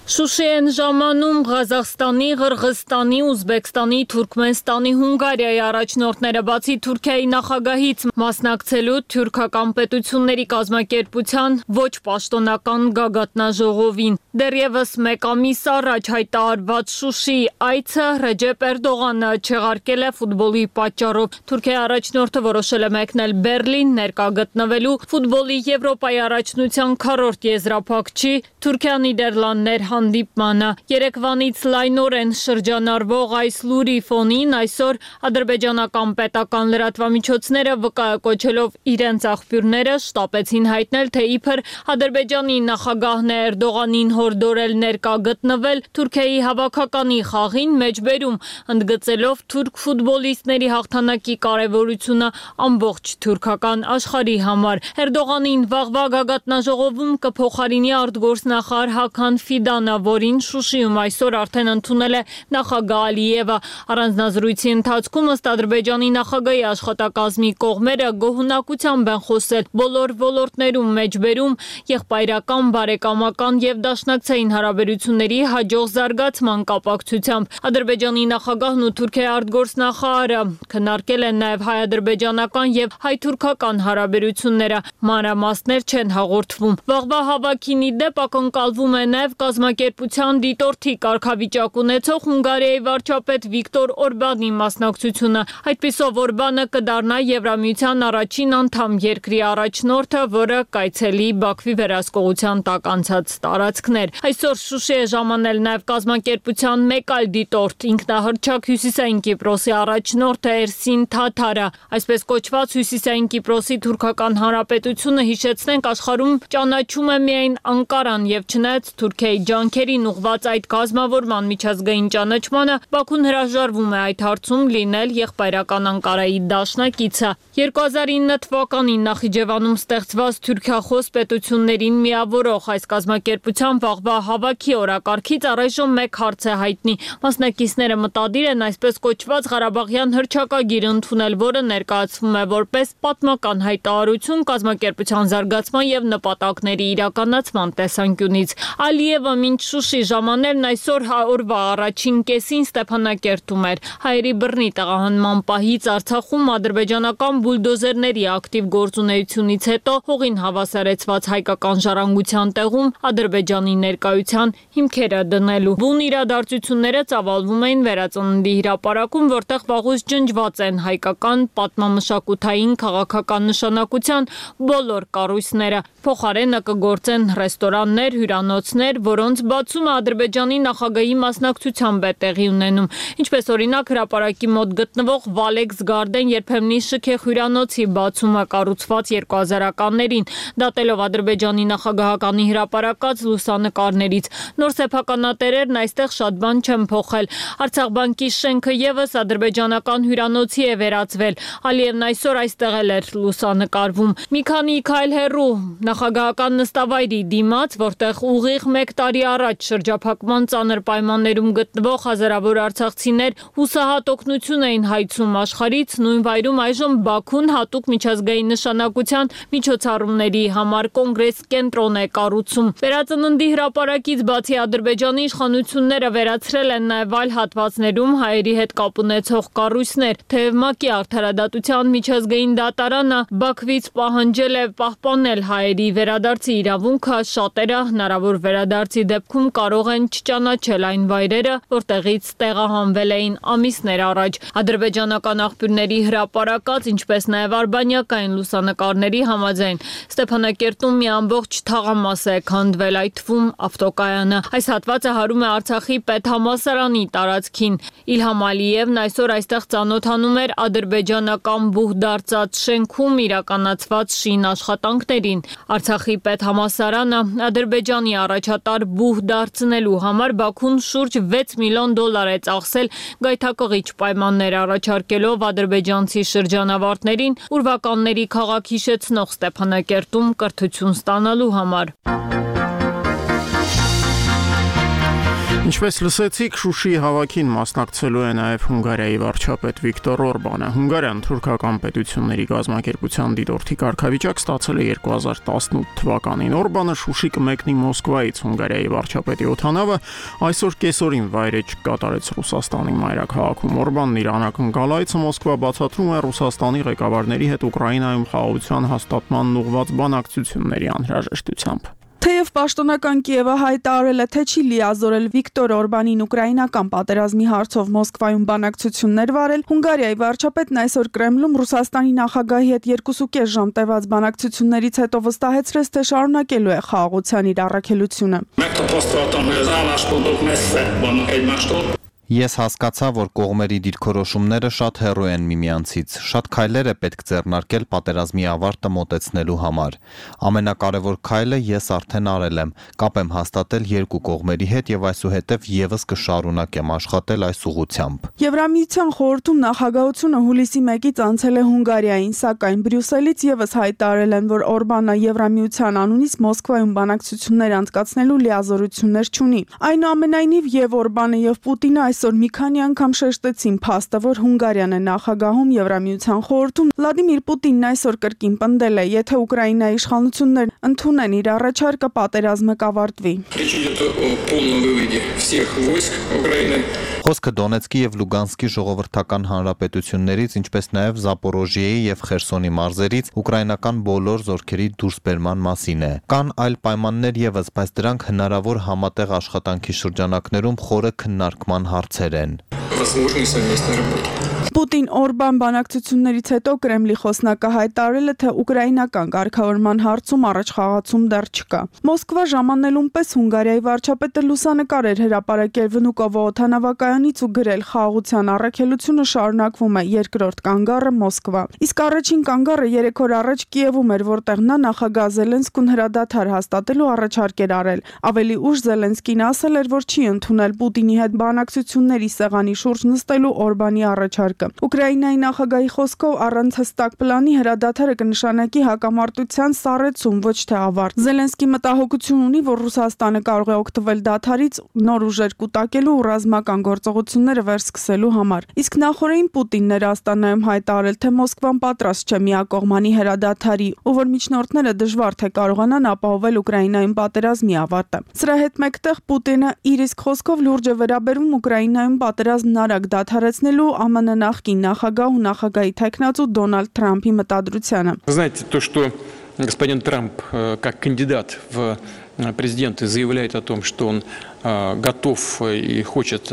Շուշի են ժամանում Ղազախստանի, Ղրղստանի, Ուզբեկստանի, Թուրքմենստանի, Հունգարիայի առաջնորդները, բացի Թուրքիայի նախագահից մասնակցելու թյուրքական պետությունների կազմակերպության ոչ պաշտոնական գագաթնաժողովին։ Դեռևս մեկ ամիս առաջ հայտարարված Շուշի այցը Ռեջեփ Էրդողանը չեղարկել է ֆուտբոլի պատճառով։ Թուրքիայի առաջնորդը որոշել է մեկնել Բեռլին ներկա գտնվելու ֆուտբոլի Եվրոպայի առաջնության քառորդ եզրափակչի Թուրքիա-Նիդերլանդներ հանդիպմանը։ Երեկվանից լայնորեն շրջանառվող այս լուրի ֆոնին այսօր ադրբեջանական պետական լրատվամիջոցները վկայակոչելով իրենց աղբյուրները շտապեցին հայտնել, թե իբր Ադրբեջանի նախագահն է Էրդողանին հորդորել ներկա գտնվել Թուրքիայի հավաքականի խաղին, մեջբերում ընդգծելով թուրք ֆուտբոլիստների հաղթանակի կարևորությունը ամբողջ թուրքական աշխարհի համար։ Էրդողանին վաղվա գագաթնաժողովում կփոխարինի արտգործնախարար Հաքամ Ֆիդանը, որին Շուշիում այսօր արդեն ընդունել է նախագահ Ալիևը։ Առանձնազրույցի ընթացքում ըստ Ադրբեջանի նախագահի աշխատակազմի կողմերը գոհունակությամբ են խոսել բոլոր ոլորտներում, մեջբերում եղբայրական, բարեկամական եւ դաշնակցային հարաբերությունների հաջող զարգացման կապակցությամբ։ Ադրբեջանի նախագահն ու Թուրքիայի արտգործնախարարը քննարկել են նաեւ հայ-ադրբեջանական եւ հայ-թուրքական հարաբերությունները։ Մանրամասներ չեն հաղորդվում։ Վաղվա հավաքին ի դեպ ակնկալվում է նաեւ կազմակերպության դիտորդի կարգավիճակ ունեցող Հունգարիայի վարչապետ Վիկտոր Օրբանի մասնակցությունը։ Այդպիսով Օրբանը կդառնա Եվրամիության առաջին անդամ երկրի առաջնորդը, որը կայցելի Բաքվի վերահսկողության տակ անցած տարածքներ։ Այսօր Շուշի է ժամանել նաև կազմակերպության մեկ այլ դիտորդ, ինքնահռչակ Հյուսիսային Կիպրոսի առաջնորդը Էրսին Թաթարը։ Այսպես կոչված Հյուսիսային Կիպրոսի թուրքական հանրապետությունը, հիշեցնենք, աշխարհում ճանաչում է միայն Անկարան եւ չնայած Թուրքիայի ջանքերին ուղղված այդ կազմավորման միջազգային ճանաչմանը, Բաքուն հրաժարվում է այդ հարցում լինել եղբայրական Անկարայի դաշնակիցը։ երկու հազար ինը թվականին Նախիջևանում ստեղծված թուրքախոս պետություններին միավորող այս կազմակերպության վաղվա հավաքի օրակարգից առայժմ մեկ հարց է հայտնի։ Մասնակիցները մտադիր են այսպես կոչված Ղարաբաղյան հռչակագիր ընդունել, որը ներկայացվում է որպես պատմական հայտարարություն կազմակերպության զարգացման եւ նպատակների իրականացման տեսանկյունից։ Ալիևը մինչ Շուշի ժամաներն այսօր օրվա առաջին կեսին Ստեփանակերտում էր։ Հայերի բռնի տեղահանման պահից Արցախում ադրբեջանական բուլդոզերների ակտիվ գործունեությունից հետո հողին հավասարեցված հայկական ժառանգության տեղում Ադրբեջանի ներկայության հիմքերը դնելու։ Բուն իրադարձությունները ծավալվում էին Վերածննդի հրապարակում, որտեղ վաղուց ջնջված են հայկական պատմամշակութային քաղաքական նշանակության բոլոր կառույցները։ Փոխարենը կգործեն ռեստորաններ, հյուրանոցներ, որոնց բացումը Ադրբեջանի նախագահի մասնակցությամբ է տեղի ունենում։ Ինչպես օրինակ հրապարակի մոտ գտնվող Valex Garden երբեմնի շքեղ հյուրանոցի բացումը կառուցված երկուհազարականներին, դատելով Ադրբեջանի նախագահականի հրապարակած լուսանկարներից։ Նոր սեփականատերերն այստեղ շատ բան չեն փոխել։ Արցախ բանկի շենքը եւս ադրբեջանական հյուրանոցի է վերածվել։ Ալիևն այսօր այստեղ էլ էր լուսանկարվում։ Մի քանի քայլ հեռու նախագահական նստավայրի դիմաց, որտեղ ուղիղ մեկ տարի առաջ շրջափակման ծանր պայմաններում գտնվող հազարավոր արցախցիներ հուսահատ օգնություն էին հայցում աշխարհից, նույն վայրում այժմ Բաքուն հատուկ միջազգային նշանակության միջոցառումների համար կոնգրես կենտրոն է կառուցում։ Վերածննդի հրապարակից բացի Ադրբեջանի իշխանությունները վերացրել են նաև այլ հատվածներում հայերի հետ կապ ունեցող կառույցներ, թեև ՄԱԿ-ի արդարադատության միջազգային դատարանը Բաքվից պահանջել է պահպանել հայերի վերադարձի իրավունքը, շատերը հնարավոր վերադարձի դեպքում կարող են չճանաչել այն վայրերը, որտեղից տեղահանվել էին ամիսներ առաջ։ Ադրբեջանական աղբյուրների հրապարակած, ինչպես նաև արբանյակային լուսանկարների համաձայն Ստեփանակերտում մի ամբողջ թաղամաս է քանդվել, այդ թվում ավտոկայանը։ Այս հատվածը հարում է Արցախի պետհամալսարանի տարածքին։ Իլհամ Ալիևն այսօր այստեղ ծանոթանում էր ադրբեջանական բուհ դարձած շենքում իրականացված շին աշխատանքներին։ Արցախի պետհամալսարանը Ադրբեջանի առաջատար բուհ դարձնելու համար Բաքուն շուրջ վեց միլիոն դոլար է ծախսել գայթակղիչ պայմաններ առաջարկելով ադրբեջանցի շրջանավարտներին ուրվականների քաղաք հիշեցնող Ստեփանակերտում կրթություն ստանալու համար։ Ինչպես լսեցիք, Շուշիի հավաքին մասնակցելու է նաև Հունգարիայի վարչապետ Վիկտոր Օրբանը։ Հունգարիան թուրքական պետությունների գազམ་ակերպության դիտորդի կարգավիճակ ստացել է երկու հազար տասնութ թվականին։ Օրբանը Շուշի կմեկնի Մոսկվայից Հունգարիայի վարչապետի օդանավը այսօր կեսօրին վայրեջք կատարեց Ռուսաստանի մայրաքաղաքում։ Օրբանն իր անակնկալ այցը Մոսկվա բացատրում է Ռուսաստանի ղեկավարների հետ Ուկրաինայում խաղաղության հաստատմանն ուղղված բանակցությունների անհրաժեշտությամբ։ Թեև պաշտոնական Կիևը հայտարարել է, թե չի լիազորել Վիկտոր Օրբանին ուկրաինական պատերազմի հարցով Մոսկվայում բանակցություններ վարել, Հունգարիայի վարչապետն այսօր Կրեմլում Ռուսաստանի նախագահի հետ երկուսուկես ժամ տևած բանակցություններից հետո վստահեցրեց, թե շարունակելու է խաղաղության իր առաքելությունը։ Ես հասկացա, որ կողմերի դիրքորոշումները շատ հեռու են միմյանցից, շատ քայլեր է պետք ձեռնարկել պատերազմի ավարտը մոտեցնելու համար։ Ամենակարևոր քայլը ես արդեն արել եմ, կապ եմ հաստատել երկու կողմերի հետ եւ այսուհետեւ եւս կշարունակեմ աշխատել այս ուղղությամբ։ Եվրամիության խորհրդում նախագահությունը հուլիսի մեկից անցել է Հունգարիային, սակայն Բրյուսելից եւս հայտարարել են, որ Օրբանը Եվրամիության անունից Մոսկվայում բանակցություններ անցկացնելու լիազորություններ չունի։ Այնուամենայնիվ եւ Օրբանը եւ Պուտինը այս Այսօր մի քանի անգամ շեշտեցին փաստը, որ Հունգարիան է նախագահում Եվրամիության խորհրդում։ Վլադիմիր Պուտինն այսօր կրկին պնդել է, եթե Ուկրաինայի իշխանություններն ընդունեն իր առաջարկը, պատերազմը կավարտվի։ Խոսքը Դոնեցկի եւ Լուգանսկի ժողովրդական հանրապետություններից, ինչպես նաեւ Զապորոժիեի եւ Խերսոնի մարզերից ուկրաինական բոլոր զորքերի դուրսբերման մասին է։ Կան այլ պայմաններ եւս, բայց դրանք հնարավոր համատեղ աշխատանքի շրջանակներում խորը քննարկման հարցեր են։ Պուտին-Օրբան բանակցություններից հետո Կրեմլի խոսնակը հայտարարել է, թե ուկրաինական կարգավորման հարցում առաջխաղացում դեռ չկա։ Մոսկվա ժամանելուն պես Հունգարիայի վարչապետը լուսանկար էր հրապարակել Վնուկովո օդանավակայանից ու գրել խաղաղության առաքելությունը շարունակվում է, երկրորդ կանգառը Մոսկվա։ Իսկ առաջին կանգառը երեք օր առաջ Կիևում էր, որտեղ նա նախագահ Զելենսկուն հրադադար հաստատելու առաջարկ էր արել։ Ավելի ուշ Զելենսկին ասել էր, որ չի ընդունել Պուտինի հետ բանակցությունների սեղանի շուրջ նստելու Օրբանի առաջարկը։ Ուկրաինայի նախագահի խոսքով առանց հստակ պլանի հրադադարը կնշանակի հակամարտության սառեցում, ոչ թե ավարտ։ Զելենսկի մտահոգություն ունի, որ Ռուսաստանը կարող է օգտվել դադարից նոր ուժեր կուտակելու ու ռազմական գործողությունները վերսկսելու համար։ Իսկ նախորդին Պուտինն էր Աստանայում հայտարարել, թե Մոսկվան պատրաստ չէ միակողմանի հրադադարի, ու որ միջնորդները դժվար թե կարողանան ապահովել Ուկրաինայում պատերազմի ավարտը։ Սրա հետ մեկտեղ Պուտինը իր իսկ խոսքով լուրջ է վերաբերում Ուկրաինայում պատերազմն արագ դադարեցնելու ԱՄՆ նախկին նախագահ ու նախագահի թեկնածու Դոնալդ Թրամփի մտադրությանը։ Знаете, то, что господин Трамп как кандидат в президенты заявляет о том, что он готов и хочет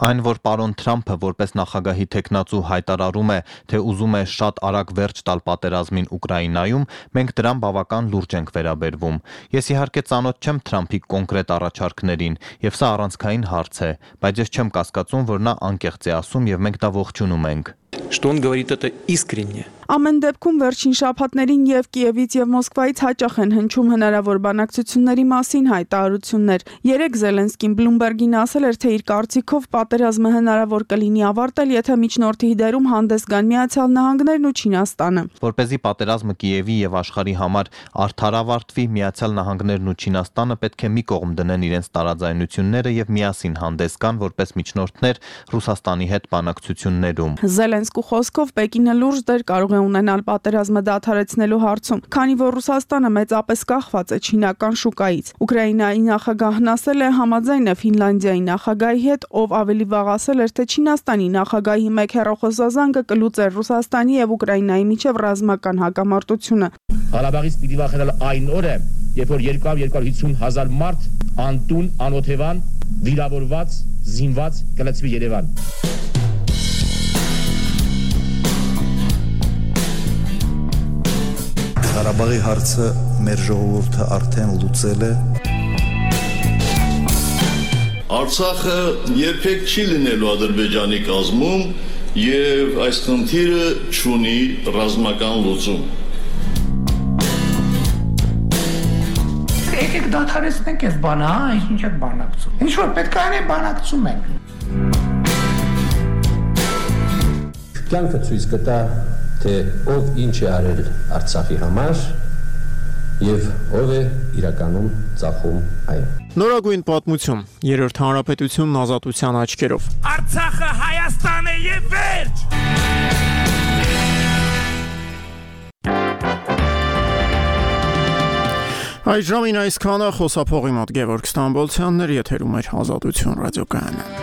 Այն որ պարոն Թրամփը որպես նախագահի տեխնացու հայտարարում է, թե ուզում է շատ արագ վերջ տալ պատերազմին Ուկրաինայում, մենք դրան բավական լուրջ ենք վերաբերվում։ Ես իհարկե ծանոթ չեմ Թրամփի կոնկրետ առաջարկներին, եւ սա առանցքային հարց է, բայց ես չեմ կասկածում, որ նա անկեղծ է ասում եւ մենք դա ողջունում ենք։ Что он говорит это искренне. Ամեն դեպքում վերջին շաբաթներին եւ Կիևից եւ Մոսկվայից հաճախ են հնչում հնարավոր բանակցությունների մասին հայտարարություններ։ Երեք Զելենսկին Bloomberg-ին ասել էր, թե իր կարծիքով պատերազմը հնարավոր կլինի ավարտել, եթե միջնորդի դերում հանդես գան Միացյալ Նահանգներն ու Չինաստանը։ Որպեսզի պատերազմը Կիևի եւ աշխարհի համար արդար ավարտվի, Միացյալ Նահանգներն ու Չինաստանը պետք է մի կողմ դնեն իրենց տարաձայնությունները եւ միասին հանդես գան որպես միջնորդներ Ռուսաստանի հետ բանակցություններում։ Զելենսկու խոսքով Պեկինը լուրջ դեր կարող է ունենալ պատերազմը դադարեցնելու հարցում, քանի որ Ռուսաստանը մեծապես կախված է չինական շուկայից։ Ուկրաինայի նախագահն ասել է համաձայն է Ֆինլանդիայի նախագահի հետ, ով ավելի վաղ ասել էր, թե Չինաստանի նախագահի մեկ հեռախոսազանգը կլուծեր Ռուսաստանի եւ Ուկրաինայի միջև ռազմական հակամարտությունը։ Ղարաբաղից պիտի վախենալ այն օրը, երբ որ երկու հարյուր հիսուն հազար մարդ անտուն, անօթևան, վիրավորված, զինված կլցվի Երևան։ Ղարաբաղի հարցը մեր ժողովուրդը արդեն լուծել է։ Արցախը երբեք չի լինելու Ադրբեջանի կազմում եւ այս խնդիրը չունի ռազմական լուծում։ Եկեք դադարեցնենք այս բանը, հա, ինչ եք բանակցում։ Ինչ որ պետք է անենք, բանակցում ենք։ Կյանքը ցույց կտա, թե ով ինչ է արել Արցախի համար եւ ով է իրականում ծախում այն։ Նորագույն պատմություն, երրորդ հանրապետությունն ազատության աչքերով։ Արցախը Հայաստան է եւ վերջ։ Այժմ այսքանը խոսափողի մոտ Գևորգ Ստամբոլցյանն էր, եթերում էր Ազատություն ռադիոկայանը։